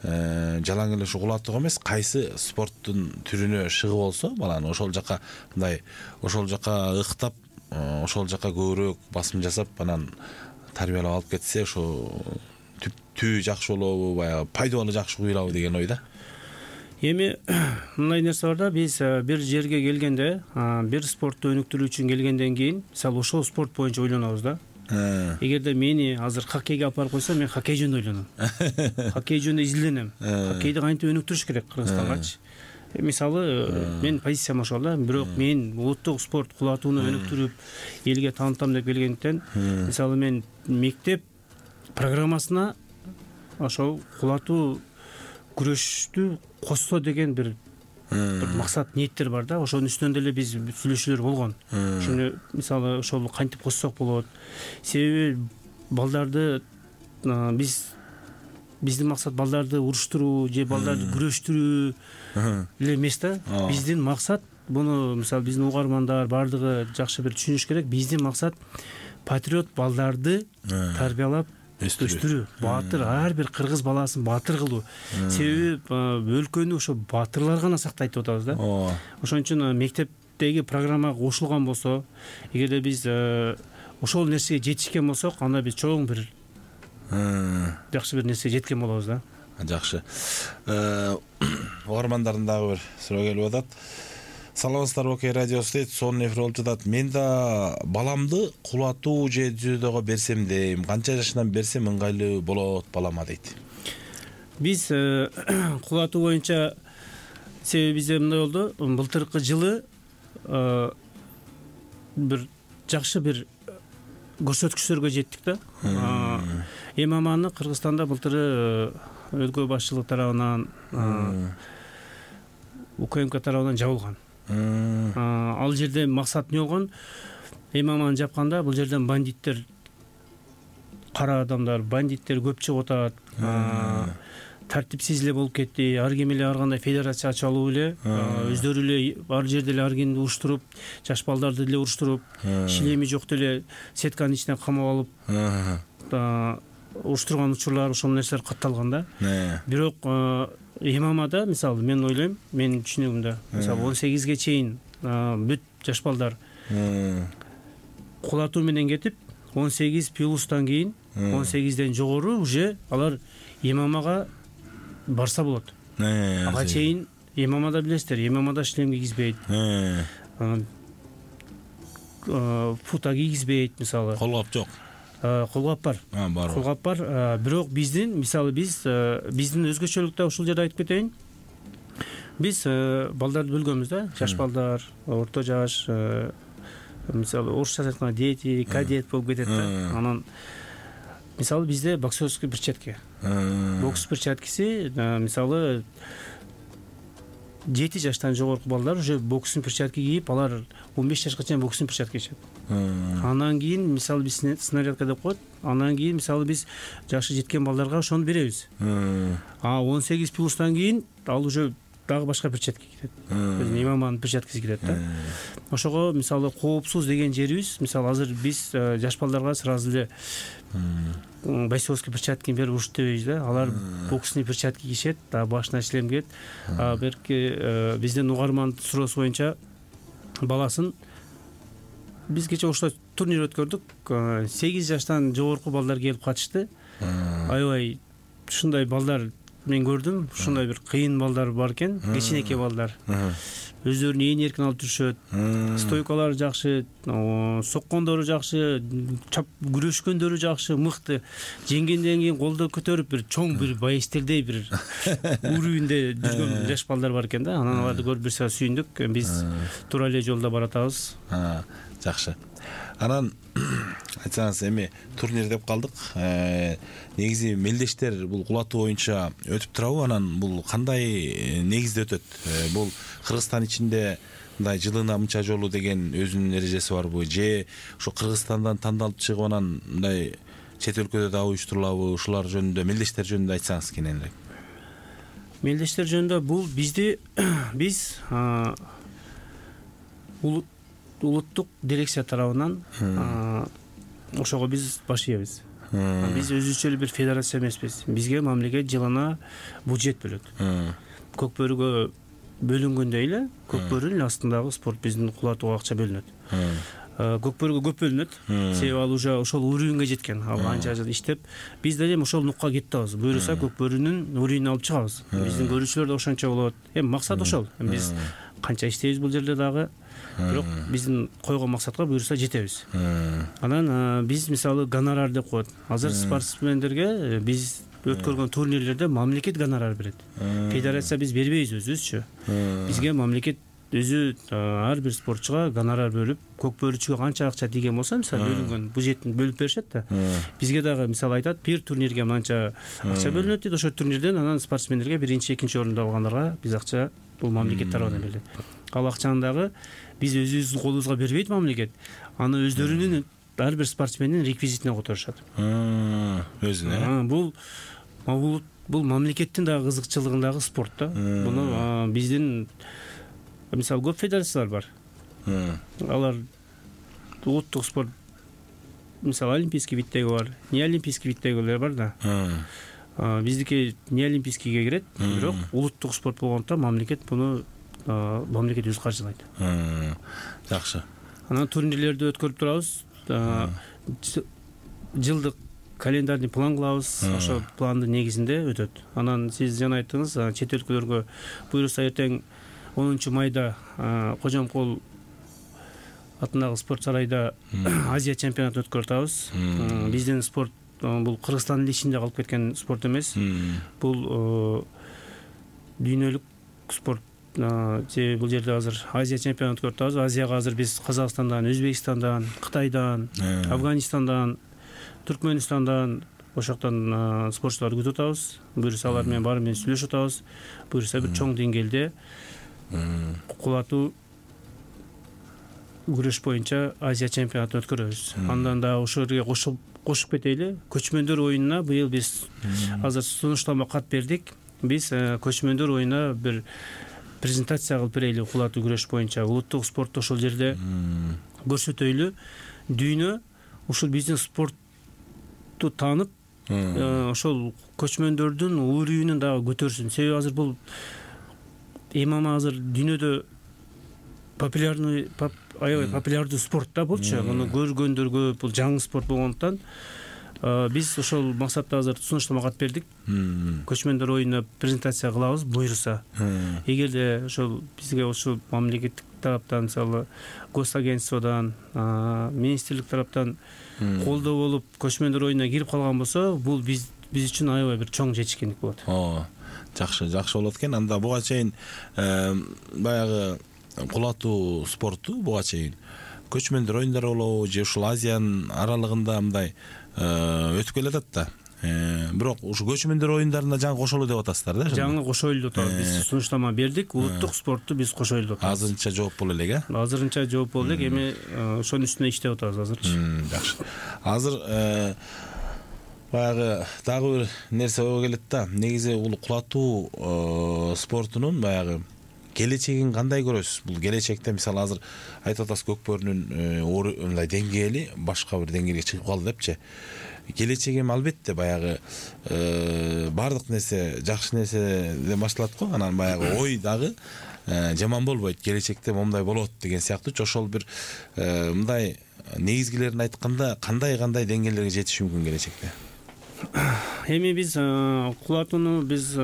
жалаң эле ушу кулатууга эмес, кайсы спорттун түрүнө шыгып болсо, баланы ошол жака мындай ошол жака ыктап, ошол жака көбүрөөк басым жасап, анан тарбиялап алып кетсе, ошо түптүү жакшы болобу, баягы пайдалуу жакшы куюлабы деген ойда. Эми мындай нерсе бар да, биз бир жерге келгенде, бир спортту өнүктүрүү үчүн келгенден кийин, мисалы ошол спорт боюнча ойлонобуз да. Эгерде мени азыр хоккейге алып барып койсо, мен хоккей жөнүндө ойлоном. Хоккей жөнүндө изилденем. Хоккейди кантип өнүктүрүш керек Кыргызстангачы. Мисалы, мен позициям ошол да. Бирок мен улуттук спорт кулатууну өнүктүрүп, элге таанытам деп келгендиктен, мисалы мен мектеп программасына ошол кулатуу күрөштү косто деген бир бир максат, ниеттер бар да. Ошонун үстүнөн деле биз сүйлөшүүлөр болгон. Ошону мисалы ошол кантип коссок болот. Себеби балдарды биз биздин максат балдарды уруштуруу же балдарды күрөштүрүү эле эмес да. Биздин максат, буну мисалы биздин угармандар баардыгы жакшы бир түшүнүш керек. Биздин максат патриот балдарды тарбиялап өстүрүү, баатыр, ар бир кыргыз баласын баатыр кылуу. Себеби өлкөнү ошо баатырлар гана сактайт деп атабыз да. Ошон үчүн мектептеги программага кошулган болсо, эгерде биз ошол нерсеге жетишкен болсок, анда биз чоң бир жакшы бир нерсеге жеткен болобуз да. Жакшы. Угармандардын дагы бир суроо келип атат. Саламатсыздарбы, Окей радиосу дейт, сонун эфир болуп жатат. Мен да баламды кулатуу же дзюдого берсем дейм. Канча жашынан берсем ыңгайлуу болот балама дейт. Биз кулатуу боюнча, себеби бизде мындай болду, былтыркы жылы бир жакшы бир көрсөткүчтөргө жеттик да. ММАны Кыргызстанда былтыры өлкө башчылык тарабынан, УКМК тарабынан жабылган. Ал жерде максат эмне болгон? ММАны жапканда бул жерден бандиттер, кара адамдар, бандиттер көп чыгып атат. Тартипсиз эле болуп кетти. Ар ким эле ар кандай федерация ачып алуу эле, өздөрү эле ар жерде эле ар кимди уруштуруп, жаш балдарды деле уруштуруп, шлеми жок деле сетканын ичине камап алып уруштурган учурлар, ошол нерселер катталган да. Бирок ММАда мисалы мен ойлойм, менин түшүнүгүмдө, мисалы он сегизге чейин бүт жаш балдар кулатуу менен кетип, он сегиз плюстан кийин, он сегизден жогору уже алар ММАга барса болот. Ага чейин ММАда билесиздер, ММАда шлем кийгизбейт. Фута кийгизбейт мисалы. Колгап жок. Колгап бар. Колгап бар. Бирок биздин, мисалы биз биздин өзгөчөлүктө ушул жерде айтып кетейин. Биз балдарды бөлгөнбүз да. Жаш балдар, орто жаш, мисалы орусча айтканда дети, кадет болуп кетет да. Анан мисалы бизде боксерский перчатка. Бокс перчаткасы, мисалы жети жаштан жогорку балдар уже бокстун перчатка кийип, алар он беш жашка чейин бокстун перчатка кийишет. Анан кийин мисалы биз снарядка деп коет. Анан кийин мисалы биз жашы жеткен балдарга ошону беребиз. А он сегиз плюстан кийин ал уже дагы башка перчатка кийет. Биздин ММАнын перчаткасы кирет да. Ошого мисалы коопсуз деген жерибиз, мисалы азыр биз жаш балдарга сразу эле бойцовский перчатканы берип уруш дебейбиз да. Алар боксный перчатка кийишет, да башына шлем кийет. А берки биздин угарман суроосу боюнча баласын биз кече ошто турнир өткөрдүк. сегиз жаштан жогорку балдар келип катышты. Аябай ушундай балдар мен көрдүм. Ушундай бир кыйын балдар бар экен, кичинекей балдар. өздөрүн ээн эркин алып жүрүшөт. Стойкалары жакшы, соккондору жакшы, чап күрөшкөндөрү жакшы, мыкты. Жеңгенден кийин колду көтөрүп бир чоң бир баястелдей бир уровеньде жүргөн жаш балдар бар экен да. Анан аларды көрүп бир саат сүйүндүк. Биз туура эле жолдо баратабыз. Жакшы. Анан айтсаңыз, эми турнир деп калдык. Негизи мелдештер бул кулатуу боюнча өтүп турабы? Анан бул кандай негизде өтөт? Бул Кыргызстан ичинде мындай жылына мынча жолу деген өзүнүн эрежеси барбы? Же ошо Кыргызстандан тандалып чыгып анан мындай чет өлкөдө да уюштурулабы? Ушулар жөнүндө, мелдештер жөнүндө айтсаңыз кененирээк. Мелдештер жөнүндө бул бизди биз улуттук дирекция тарабынан ошого биз баш ийебиз. Биз өзүбүзчө эле бир федерация эмеспиз. Бизге мамлекет жылына бюджет бөлөт. Көк бөрүгө бөлүнгөндөй эле көк бөрүнүн астындагы спорт биздин кулатууга акча бөлүнөт. Көк бөрүгө көп бөлүнөт. Себеби ал уже ошол уровеньге жеткен. Ал анча жыл иштеп, биз да эми ошол нукка кетип атабыз. Буюрса көк бөрүнүн уровенин алып чыгабыз. Биздин көрүүчүлөр да ошончо болот. Эми максат ошол. Биз канча иштейбиз бул жерде дагы, бирок биздин койгон максатка буюрса жетебиз. Анан биз мисалы гонорар деп коет. Азыр спортсмендерге биз өткөргөн турнирлерде мамлекет гонорар берет. Федерация биз бербейбиз өзүбүзчү. Бизге мамлекет өзү ар бир спортчуга гонорар бөлүп, көк бөрүчүгө канча акча тийген болсо, мисалы бөлүнгөн бюджеттин бөлүп беришет да. Бизге дагы мисалы айтат, бир турнирге мынча акча бөлүнөт дейт, ошол турнирден анан спортсмендерге биринчи, экинчи орунду алгандарга биз акча бул мамлекет тарабынан берилет. Ал акчаны дагы биз өзүбүздүн колубузга бербейт мамлекет. Аны өздөрүнүн ар бир спортсмендин реквизитине которушат. Өзүнө. Бул бул мамлекеттин дагы кызыкчылыгындагы спорт да. Буну биздин мисалы көп федерациялар бар. Алар улуттук спорт, мисалы олимпийский виддеги бар, не олимпийский виддегилер бар да. Биздики не олимпийскийге кирет, бирок улуттук спорт болгондуктан мамлекет буну мамлекет өзү каржылайт. Жакшы. Анан турнирлерди өткөрүп турабыз. Жылдык календарный план кылабыз. Ошол пландын негизинде өтөт. Анан сиз жана айттыңыз, чет өлкөлөргө буюрса эртең онунчу майда Кожомкул атындагы спорт сарайда Азия чемпионатын өткөрүп атабыз. Биздин спорт бул Кыргызстандын ичинде калып кеткен спорт эмес. Бул дүйнөлүк спорт. Себеби бул жерде азыр Азия чемпионатын өткөрүп атабыз. Азияга азыр биз Казакстандан, Өзбекстандан, Кытайдан, Афганистандан, Түркмөнстандан, ошоктон спортчуларды күтүп атабыз. Буюрса алар менен баары менен сүйлөшүп атабыз. Буюрса бир чоң деңгээлде кулатуу күрөш боюнча Азия чемпионатын өткөрөбүз. Андан да ошол жерге кошуп кошуп кетели. Көчмөндөр оюнуна быйыл биз азыр сунуштама кат бердик. Биз көчмөндөр оюнуна бир презентация кылып берели кулатуу күрөш боюнча. Улуттук спортто ошол жерде көрсөтөйлү. Дүйнө ушул биздин спортту таанып, ошол көчмөндөрдүн уровенин дагы көтөрсүн. Себеби азыр бул ММА азыр дүйнөдө популярный аябай популярдуу спорт да болчу. Муну көргөндөр көп, бул жаңы спорт болгондуктан биз ошол максатта азыр сунуштама кат бердик. Көчмөндөр оюнуна презентация кылабыз буюрса. Эгерде ошол бизге ошол мамлекеттик тараптан, мисалы госагентстводан, министрлик тараптан колдоо болуп көчмөндөр оюнуна кирип калган болсо, бул биз биз үчүн аябай бир чоң жетишкендик болот. Жакшы, жакшы болот экен. Анда буга чейин баягы кулатуу спорту буга чейин көчмөндөр оюндары болобу же ушул Азиянын аралыгында мындай өтүп келатат да. Бирок ушу көчмөндөр оюндарына жаңы кошолу деп атасыздар да? Жаңы кошойлу деп атабыз. Биз сунуштама бердик. Улуттук спортту биз кошойлу деп атабыз. Азырынча жооп боло элек, э? Азырынча жооп боло элек. Эми ошонун үстүнө иштеп атабыз азырчы. Жакшы. Азыр баягы дагы бир нерсе ойго келет да. Негизи бул кулатуу спортунун баягы келечегин кандай көрөсүз? Бул келечекте мисалы азыр айтып атасыз көк бөрүнүн мындай деңгээли башка бир деңгээлге чыгып калды депчи. Келечеги эми албетте баягы баардык нерсе жакшы нерседен башталат го. Анан баягы ой дагы жаман болбойт. Келечекте момундай болот деген сыяктуучу. Ошол бир мындай негизгилерин айтканда кандай-кандай деңгээлерге жетиш мүмкүн келечекте? Эми биз кулатууну биз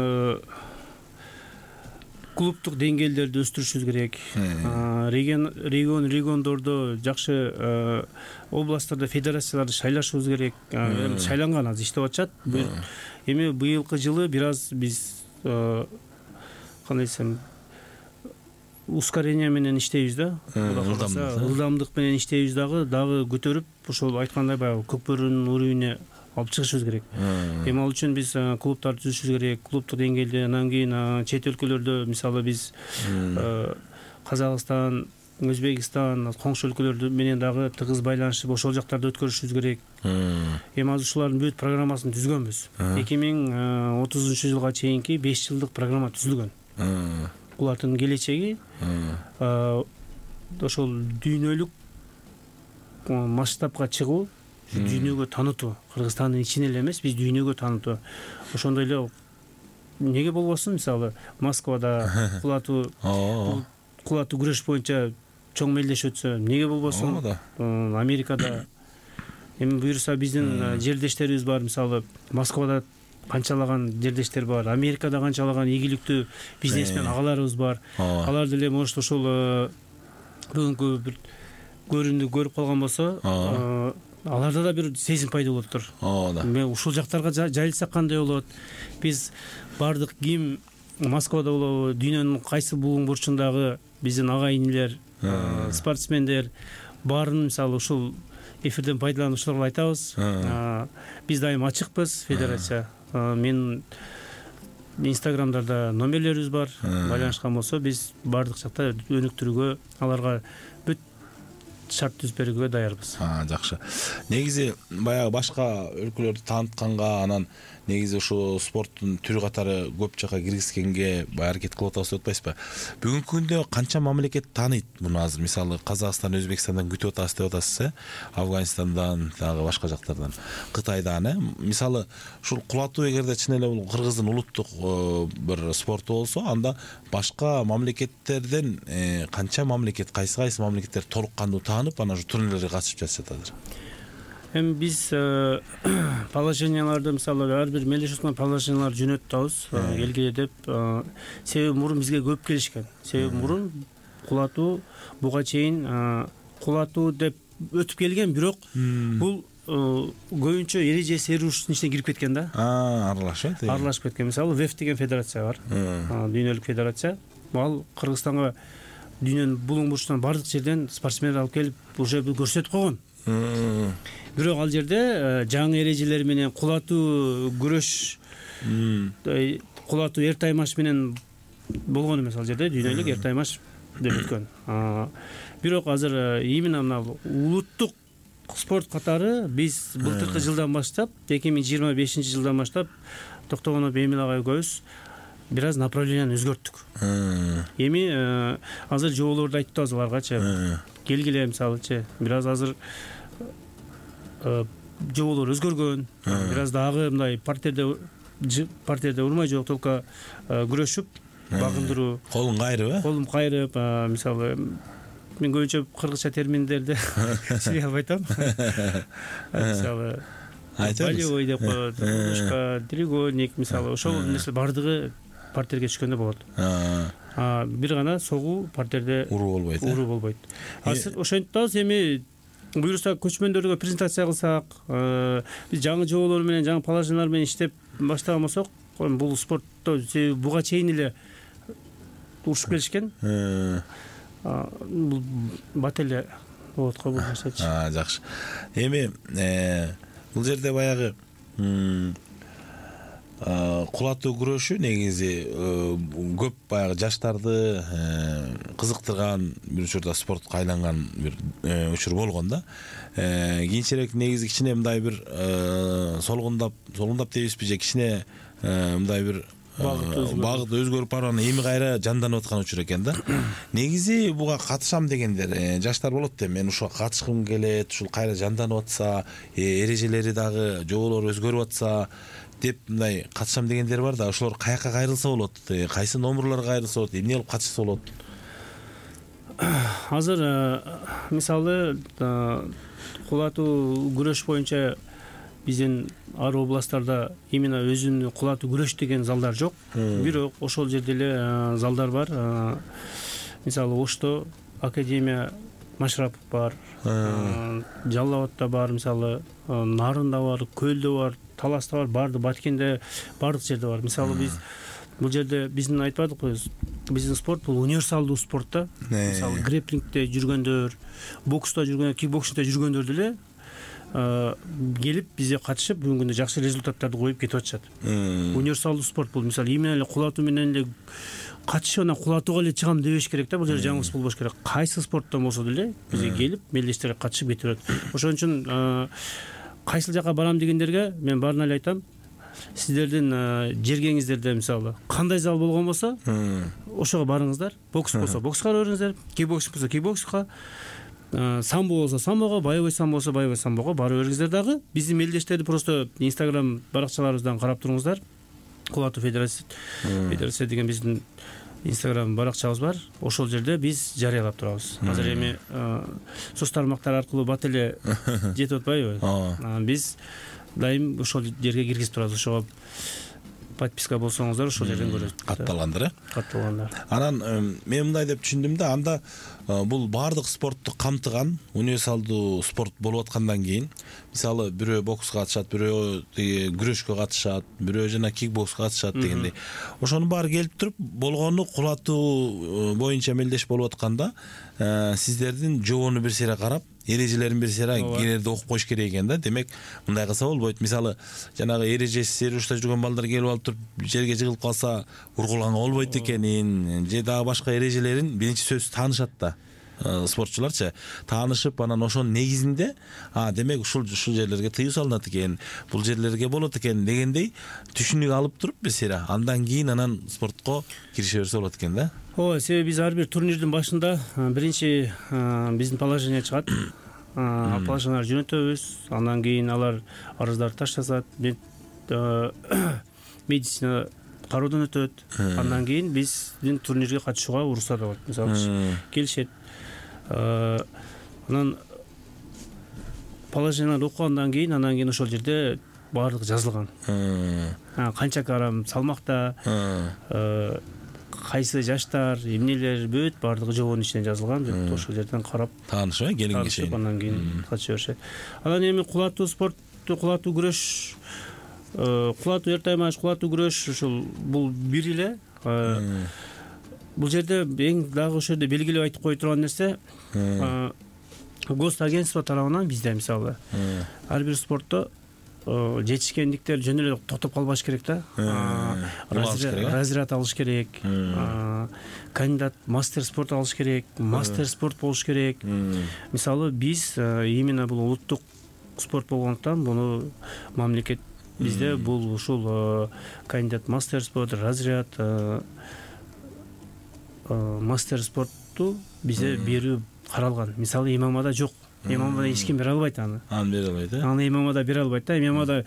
клубдук деңгээлдерди өстүрүшүбүз керек. Регион регион региондордо жакшы областтарда федерацияларды шайлашыбыз керек. Шайланган азыр иштеп атышат. Эми быйылкы жылы бир аз биз кандай десем ускорение менен иштейбиз да. Ылдамдык менен иштейбиз дагы дагы көтөрүп ошол айткандай баягы Көкбөрүнүн уровенine алып чыгышыбыз керек. Эми ал үчүн биз клубтарды түзүшүбүз керек. Клубдук деңгээлде, анан кийин чет өлкөлөрдө мисалы биз Казакстан, Өзбекстан, коңшу өлкөлөр менен дагы тыгыз байланышып ошол жактарда өткөрүшүбүз керек. Эми азыр ушулардын бүт программасын түзгөнбүз. эки миң отузунчу жылга чейинки беш жылдык программа түзүлгөн. Булардын келечеги ошол дүйнөлүк масштабка чыгуу, дүйнөгө таанытуу. Кыргызстандын ичине эле эмес, биз дүйнөгө таанытуу. Ошондой эле эмнеге болбосун, мисалы Москвада кулатуу кулатуу күрөш боюнча чоң мелдеш өтсө, эмнеге болбосун? Америкада эми буюрса биздин жердештерибиз бар, мисалы Москвада канчалаган жердештер бар, Америкада канчалаган ийгиликтүү бизнесмен агаларыбыз бар. Алар деле может ошол бүгүнкү бир көрүүнү көрүп калган болсо, аларда да бир сезим пайда болоттур. Ооба. Мен ушул жактарга жайылсак кандай болот? Биз бардык ким Москвада болобу, дүйнөнүн кайсы бугуң бурчундагы биздин ага инилер, спортсмендер баарын мисалы ушул эфирден пайдаланып ушуларга айтабыз. Биз дайым ачыкпыз, федерация. Мен инстаграмдарда номерлерибиз бар. Байланышкан болсо биз бардык жакта өнүктүрүүгө, аларга бүт шарт түзүп берүүгө даярбыз. Жакшы. Негизи баягы башка өлкөлөрдү таанытканга, анан негизи ушу спорттун түрү катары көп жакка киргизгенге баягы аракет кылып атабыз деп атпайсызбы? Бүгүнкү күндө канча мамлекет тааныйт муну азыр? Мисалы Казакстан, Өзбекстандан күтүп атасыз деп атасыз, э? Афганистандан, дагы башка жактардан, Кытайдан, э? Мисалы ушул кулатуу эгерде чын эле бул Кыргыздын улуттук бир спорту болсо, анда башка мамлекеттерден канча мамлекет, кайсы кайсы мамлекеттер толук кандуу таанып, анан ушу турнирлерге катышып жатышат азыр? Эми биз положенияларды мисалы ар бир мелдеш өткөн положенияларды жөнөтүп атабыз, келгиле деп. Себеби мурун бизге көп келишкен. Себеби мурун кулатуу буга чейин кулатуу деп өтүп келген, бирок бул көбүнчө эрежеси эрушүүнүн ичине кирип кеткен да. Аралашып, аралашып кеткен. Мисалы ВЭФ деген федерация бар, дүйнөлүк федерация. Ал Кыргызстанга дүйнөнүн булуң бурчунан бардык жерден спортсмендер алып келип уже көрсөтүп койгон. Бирок ал жерде жаңы эрежелер менен кулатуу күрөш, кулатуу эр таймаш менен болгон эмес. Ал жерде дүйнөлүк эр таймаш деп өткөн. Бирок азыр именно мына улуттук спорт катары биз былтыркы жылдан баштап, эки миң жыйырма бешинчи жылдан баштап Токтогонов Эмил агай экөөбүз бир аз направленияны өзгөрттүк. Эми азыр жоболорду айтып атабыз аларгачы. Келгиле мисалычы, бир аз азыр жоболор өзгөргөн. Бир аз дагы мындай партерде партерде урмай жок, только күрөшүп, багындыруу. Колун кайрып, э? Колум кайрып, мисалы мен көбүнчө кыргызча терминдерди түшүнө албай атам. Мисалы болевой деп коет, кружка, треугольник, мисалы ошол нерсе бардыгы партерге түшкөндө болот. Бир гана согуу партерде уруу болбойт. Уруу болбойт. Азыр ошентип атабыз. Эми буюрса көчмөндөргө презентация кылсак, биз жаңы жоболор менен, жаңы положениялар менен иштеп баштаган болсок, бул спортто буга чейин эле урушуп келишкен. Бул бат эле болот го бул нерсечи. Жакшы. Эми бул жерде баягы кулатуу күрөшү негизи көп баягы жаштарды кызыктырган, бир учурда спортко айланган бир учур болгон да. Кийинчерээк негизи кичине мындай бир солгундап, солгундап дейбизби же кичине мындай бир багыт өзгөрүп барып, анан эми кайра жанданып аткан учур экен да. Негизи буга катышам дегендер жаштар болот да. Мен ушуга катышкым келет, ушул кайра жанданып атса, эрежелери дагы жоболору өзгөрүп атса деп мындай катышам дегендер бар да. Ошолор каяка кайрылса болот? Кайсы номерлорго кайрылса болот? Эмне кылып катышса болот? Азыр мисалы кулатуу күрөш боюнча биздин ар областтарда именно өзүнүн кулатуу күрөш деген залдар жок, бирок ошол жерде эле залдар бар. Мисалы Ошто академия Машрапов бар, Жалал Абадта бар, мисалы Нарында бар, Көлдө бар, Таласта бар, барды Баткенде, бардык жерде бар. Мисалы биз бул жерде биздин айтпадыкпы, биздин спорт бул универсалдуу спорт да. Мисалы греплингде жүргөндөр, бокста жүргөндөр, кикбоксингде жүргөндөр деле келип бизге катышып бүгүнкү күндө жакшы результаттарды коюп кетип атышат. Универсалдуу спорт бул. Мисалы именно эле кулатуу менен эле катышып анан кулатууга эле чыгам дебеш керек да. Бул жерде жаңылыш болбош керек. Кайсы спорттон болсо деле бизге келип мелдештерге катышып кетип атат. Ошон үчүн кайсыл жака барам дегендерге мен баарына эле айтам, сиздердин жергеңиздерде мисалы кандай зал болгон болсо ошого барыңыздар. Бокс болсо бокска барыңыздар, кикбоксинг болсо кикбоксингга, самбо болсо самбого, боевой самбо болсо боевой самбого барып бериңиздер. Дагы биздин мелдештерди просто Instagram баракчаларыбыздан карап туруңуздар. Кулатуу федерация федерация деген биздин Instagram баракчабыз бар. Ошол жерде биз жарыялап турабыз. Азыр эми соц тармактар аркылуу бат эле жетип атпайбы? Биз дайым ошол жерге киргизип турабыз. Ошого подписка болсоңуздар ошол жерден көрөсүздөр. Катталгандар, э? Катталгандар. Анан мен мындай деп түшүндүм да, анда бул баардык спортту камтыган универсалдуу спорт болуп аткандан кийин, мисалы бирөө бокска катышат, бирөө күрөшкө катышат, бирөө жана кикбокска катышат дегендей. Ошонун баары келип туруп болгону кулатуу боюнча мелдеш болуп атканда, сиздердин жобону бир сере карап, эрежелерин бир сере кирерде окуп коюш керек экен да. Демек, мындай кылса болбойт. Мисалы, жанагы эрежеси серушта жүргөн балдар келип алып туруп жерге жыгылып калса, ургулганга болбойт экенин, же дагы башка эрежелерин биринчи сөзсүз таанышат да. Спортчуларчы таанышып, анан ошонун негизинде, а демек ушул ушул жерлерге тыюу салынат экен, бул жерлерге болот экен дегендей түшүнүк алып туруп бир сере андан кийин анан спортко кирише берсе болот экен да. Ооба, себеби биз ар бир турнирдин башында биринчи биздин положение чыгат. Положениялар жөнөтөбүз, андан кийин алар арыздарды ташташат, медицина кароодон өтөт. Андан кийин биздин турнирге катышууга уруксат алат. Мисалы, келишет. Анан положенияларды окугандан кийин, анан кийин ошол жерде баардыгы жазылган. Канча килограмм салмакта, кайсы жаштар, эмнелер, бүт баардыгы жобонун ичинде жазылган. Деп ошол жерден карап таанышып, келинге чейин андан кийин катыша беришет. Анан эми кулатуу спортту, кулатуу күрөш, кулатуу эртаймаш, кулатуу күрөш ушул бул бир эле. Бул жерде эң дагы ошол жерде белгилеп айтып кое турган нерсе, госагентство тарабынан бизде мисалы ар бир спортто жетишкендиктер жөн эле токтоп калбаш керек да. Разряд алыш керек, кандидат мастер спорт алыш керек, мастер спорт болуш керек. Мисалы биз именно бул улуттук спорт болгондуктан буну мамлекет бизде бул ушул кандидат мастер спорт, разряд мастер спортту бизде берүү каралган. Мисалы ММАда жок. ММАда эч ким бере албайт аны. Аны бере албайт, э? Аны ММАда бере албайт да. ММАда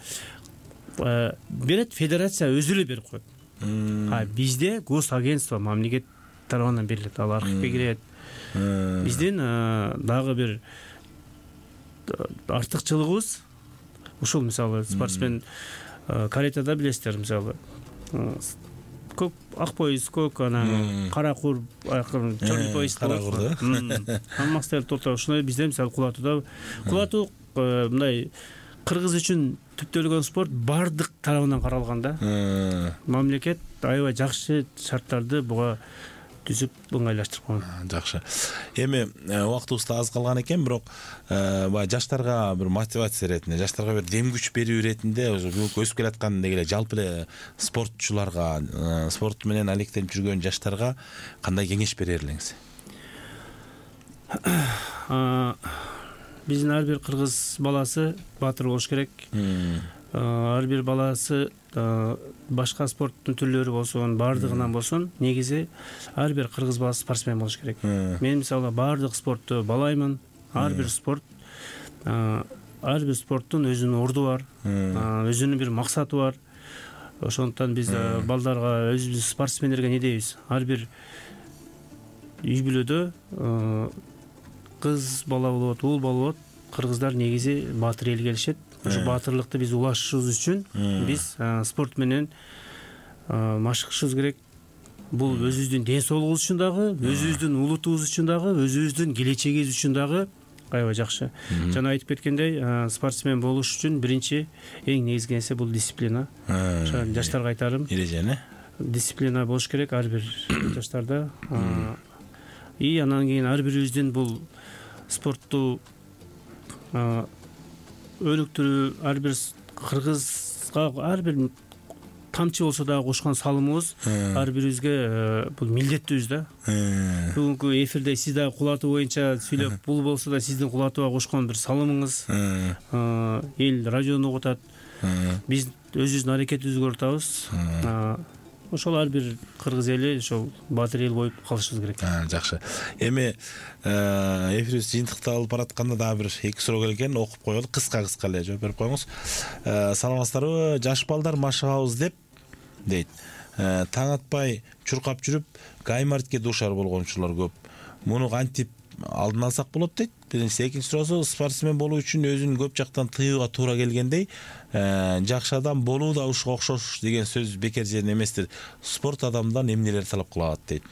берет, федерация өзү эле берип коет. А бизде госагентство мамлекет тарабынан берилет. Ал архивге кирет. Биздин дагы бир артыкчылыгыбыз ушул, мисалы спортсмен каратеда билесиздер, мисалы көк ак пояс, көк анан кара кур, черный пояс болот. Мастер турта ушуну бизде мисалы кулатууда кулатуу мындай кыргыз үчүн түптөлгөн спорт бардык тарабынан каралган да. Мамлекет аябай жакшы шарттарды буга түзүп ыңгайлаштырып койгон. Жакшы. Эми убактыбыз да аз калган экен, бирок баягы жаштарга бир мотивация иретинде, жаштарга бир дем күч берүү иретинде, бүгүнкү өсүп келаткан деги эле жалпы эле спортчуларга, спорт менен алектенип жүргөн жаштарга кандай кеңеш берер элеңиз? Биздин ар бир кыргыз баласы баатыр болуш керек. Ар бир баласы башка спорттун түрлөрү болсун, баардыгынан болсун, негизи ар бир кыргыз баласы спортсмен болуш керек. Мен мисалы баардык спортту балаймын. Ар бир спорт, ар бир спорттун өзүнүн орду бар, өзүнүн бир максаты бар. Ошондуктан биз балдарга, өзүбүз спортсмендерге не дейбиз? Ар бир үй бүлөдө кыз бала болот, уул бала болот, кыргыздар негизи баатыр элге келишет. ушу баатырлыкты биз улашышыбыз үчүн биз спорт менен машыгышыбыз керек. Бул өзүбүздүн ден соолугубуз үчүн дагы, өзүбүздүн улутубуз үчүн дагы, өзүбүздүн келечегибиз үчүн дагы аябай жакшы. Жана айтып кеткендей, спортсмен болуш үчүн биринчи эң негизги нерсе бул дисциплина. Ошо жаштарга айтарым. Эрежени. Дисциплина болуш керек ар бир жаштарда. И анан кийин ар бирибиздин бул спортту өнүктүрүү, ар бир кыргызга ар бир тамчы болсо дагы кошкон салымыбыз ар бирибизге бул милдеттүүбүз да. Бүгүнкү эфирде сиз дагы кулатуу боюнча сүйлөп, бул болсо да сиздин кулатууга кошкон бир салымыңыз. Эл радиону угутат. Биз өзүбүздүн аракетибизди көрүп атабыз. Ошол ар бир кыргыз эли ошол баатыр эл болуп калышыбыз керек. Жакшы. Эми эфирибиз жыйынтыкталып баратканда дагы бир эки суроо келген, окуп коелу. Кыска-кыска эле жооп берип коюңуз. Саламатсыздарбы? Жаш балдар машыгабыз деп дейт. Таң атпай чуркап жүрүп, гаймортке дуушар болгончулар көп. Муну кантип алдын алсак болот дейт. Биринчи, экинчи суроосу, спортсмен болуу үчүн өзүн көп жактан тыюуга туура келгендей, жакшы адам болуу да ушуга окшош деген сөз бекер жерин эместир. Спорт адамдан эмнелер талап кылат дейт.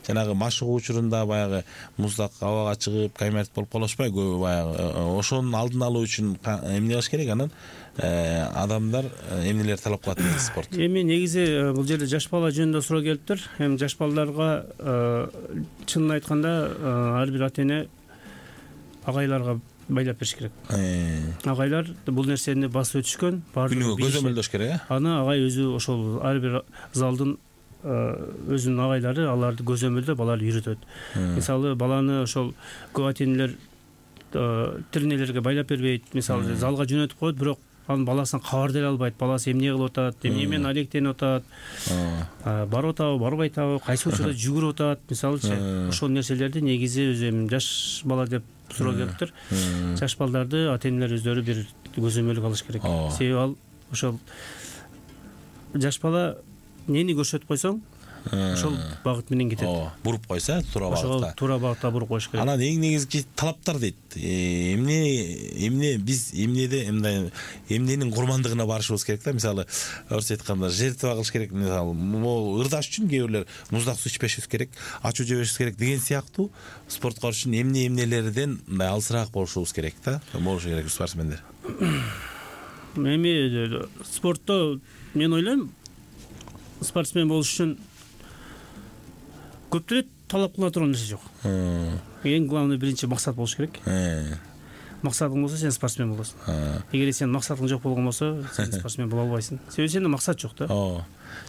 Жанагы машыгуу учурунда баягы муздак абага чыгып, гайморт болуп калышпай, баягы ошонун алдын алуу үчүн эмне кылыш керек? Анан адамдар эмнелер талап кылат дейт спорт? Эми негизи бул жерде жаш бала жөнүндө суроо келиптир. Эми жаш балдарга чынын айтканда ар бир ата эне агайларга байлап бериш керек. Агайлар бул нерсени басып өтүшкөн, күнүгө көзөмөлдөш керек, э? Аны агай өзү ошол ар бир залдын өзүнүн агайлары аларды көзөмөлдөп, аларды үйрөтөт. Мисалы, баланы ошол көп ата энелер тирнелерге байлап бербейт. Мисалы, залга жөнөтүп коет, бирок анын баласынан кабар деле албайт. Баласы эмне кылып атат, эмне менен алектенип атат, барып атабы, барбай атабы, кайсы учурда жүгүрүп атат, мисалычы. Ошол нерселерди негизи өзү эми жаш бала деп суроо келиптир. Жаш балдарды ата энелер өздөрү бир көзөмөлгө алыш керек. Себеби ал ошол жаш бала эмнени көрсөтүп койсоң, ошол багыт менен кетет. Буруп койсо, туура багытка. Туура багытта буруп коюш керек. Анан эң негизги талаптар дейт. Эмне эмне биз эмнеде мындай эмненин курмандыгына барышыбыз керек да. Мисалы, орусча айтканда, жертва кылыш керек. Мисалы, могу ырдаш үчүн кээ бирлер муздак суу ичпешибиз керек, ачуу жебешибиз керек деген сыяктуу спортко үчүн эмне эмнелерден мындай алысыраак болушубуз керек да. Болушу керек спортсмендер. Эми спортто мен ойлойм, спортсмен болуш үчүн көп деле талап кыла турган нерсе жок. Эң главный биринчи максат болуш керек. Максатың болсо, сен спортсмен болосуң. Эгер сенин максатың жок болгон болсо, сен спортсмен боло албайсың. Себеби сенде максат жок да.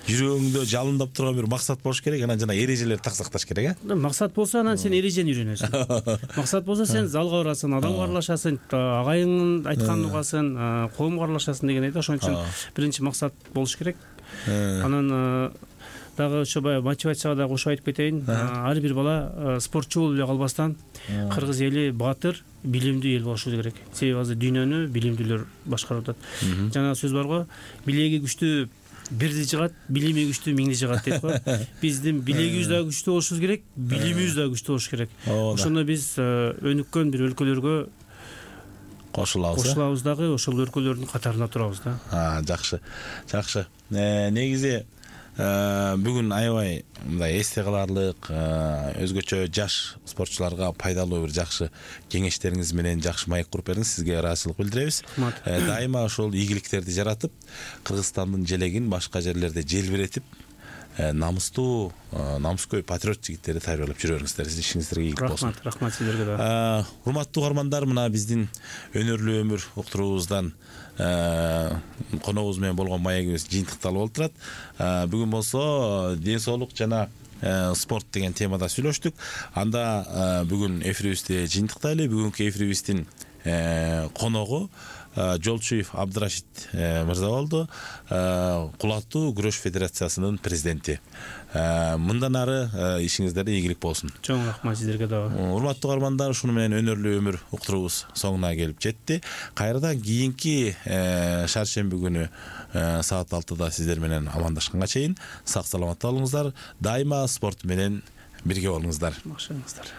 Жүрөгүңдө жалындап турган бир максат болуш керек, анан жана эрежелерди так сакташ керек, э? Максат болсо, анан сен эрежени үйрөнөсүң. Максат болсо, сен залга барасың, адамга аралашасың, агайыңдын айтканын угасың, коомго аралашасың деген айда. Ошон үчүн биринчи максат болуш керек. Анан дагы ошо баягы мотивацияга да кошуп айтып кетейин. Ар бир бала спортчу болуп эле калбастан кыргыз эли баатыр, билимдүү эл болушу керек. Себеби азыр дүйнөнү билимдүүлөр башкарып атат. Жана сөз бар го, билеги күчтүү бирди жыгат, билими күчтүү миңди жыгат дейт го. Биздин билегибиз дагы күчтүү болушубуз керек, билимибиз дагы күчтүү болуш керек. Ошондо биз өнүккөн бир өлкөлөргө кошулабыз. Кошулабыз дагы, ошол өлкөлөрдүн катарында турабыз да. Жакшы. Жакшы. Негизи бүгүн аябай мындай эсте каларлык, өзгөчө жаш спортчуларга пайдалуу бир жакшы кеңештериңиз менен жакшы маек куруп бердиңиз. Сизге ыраазычылык билдиребиз. Дайыма ошол ийгиликтерди жаратып, Кыргызстандын желегин башка жерлерде желбиретип, намыстуу, намыскөй патриот жигиттерди даярдап жүрөңүздөр. Сиздин ишиңиздерге ийгилик болсун. Рахмат, рахмат сиздерге да. Урматтуу угармандар, мына биздин өнөрлүү өмүр уктуруубуздан коногубуз менен болгон маегибиз жыйынтыкталып олтурат. Бүгүн болсо ден соолук жана спорт деген темада сүйлөштүк. Анда бүгүн эфирибизди жыйынтыктайлы. Бүгүнкү эфирибиздин коногу Жолчуев Абдырашид мырза болду, Кулаттуу күрөш федерациясынын президенти. Мындан ары ишиңиздерде ийгилик болсун. Чоң рахмат сиздерге дагы. Урматтуу угармандар, ушуну менен өнөрлүү өмүр уктуруубуз соңуна келип жетти. Кайрадан кийинки шаршемби күнү саат алтыда сиздер менен амандашканга чейин сак саламатта болуңуздар. Дайыма спорт менен бирге болуңуздар. Башыңыздар.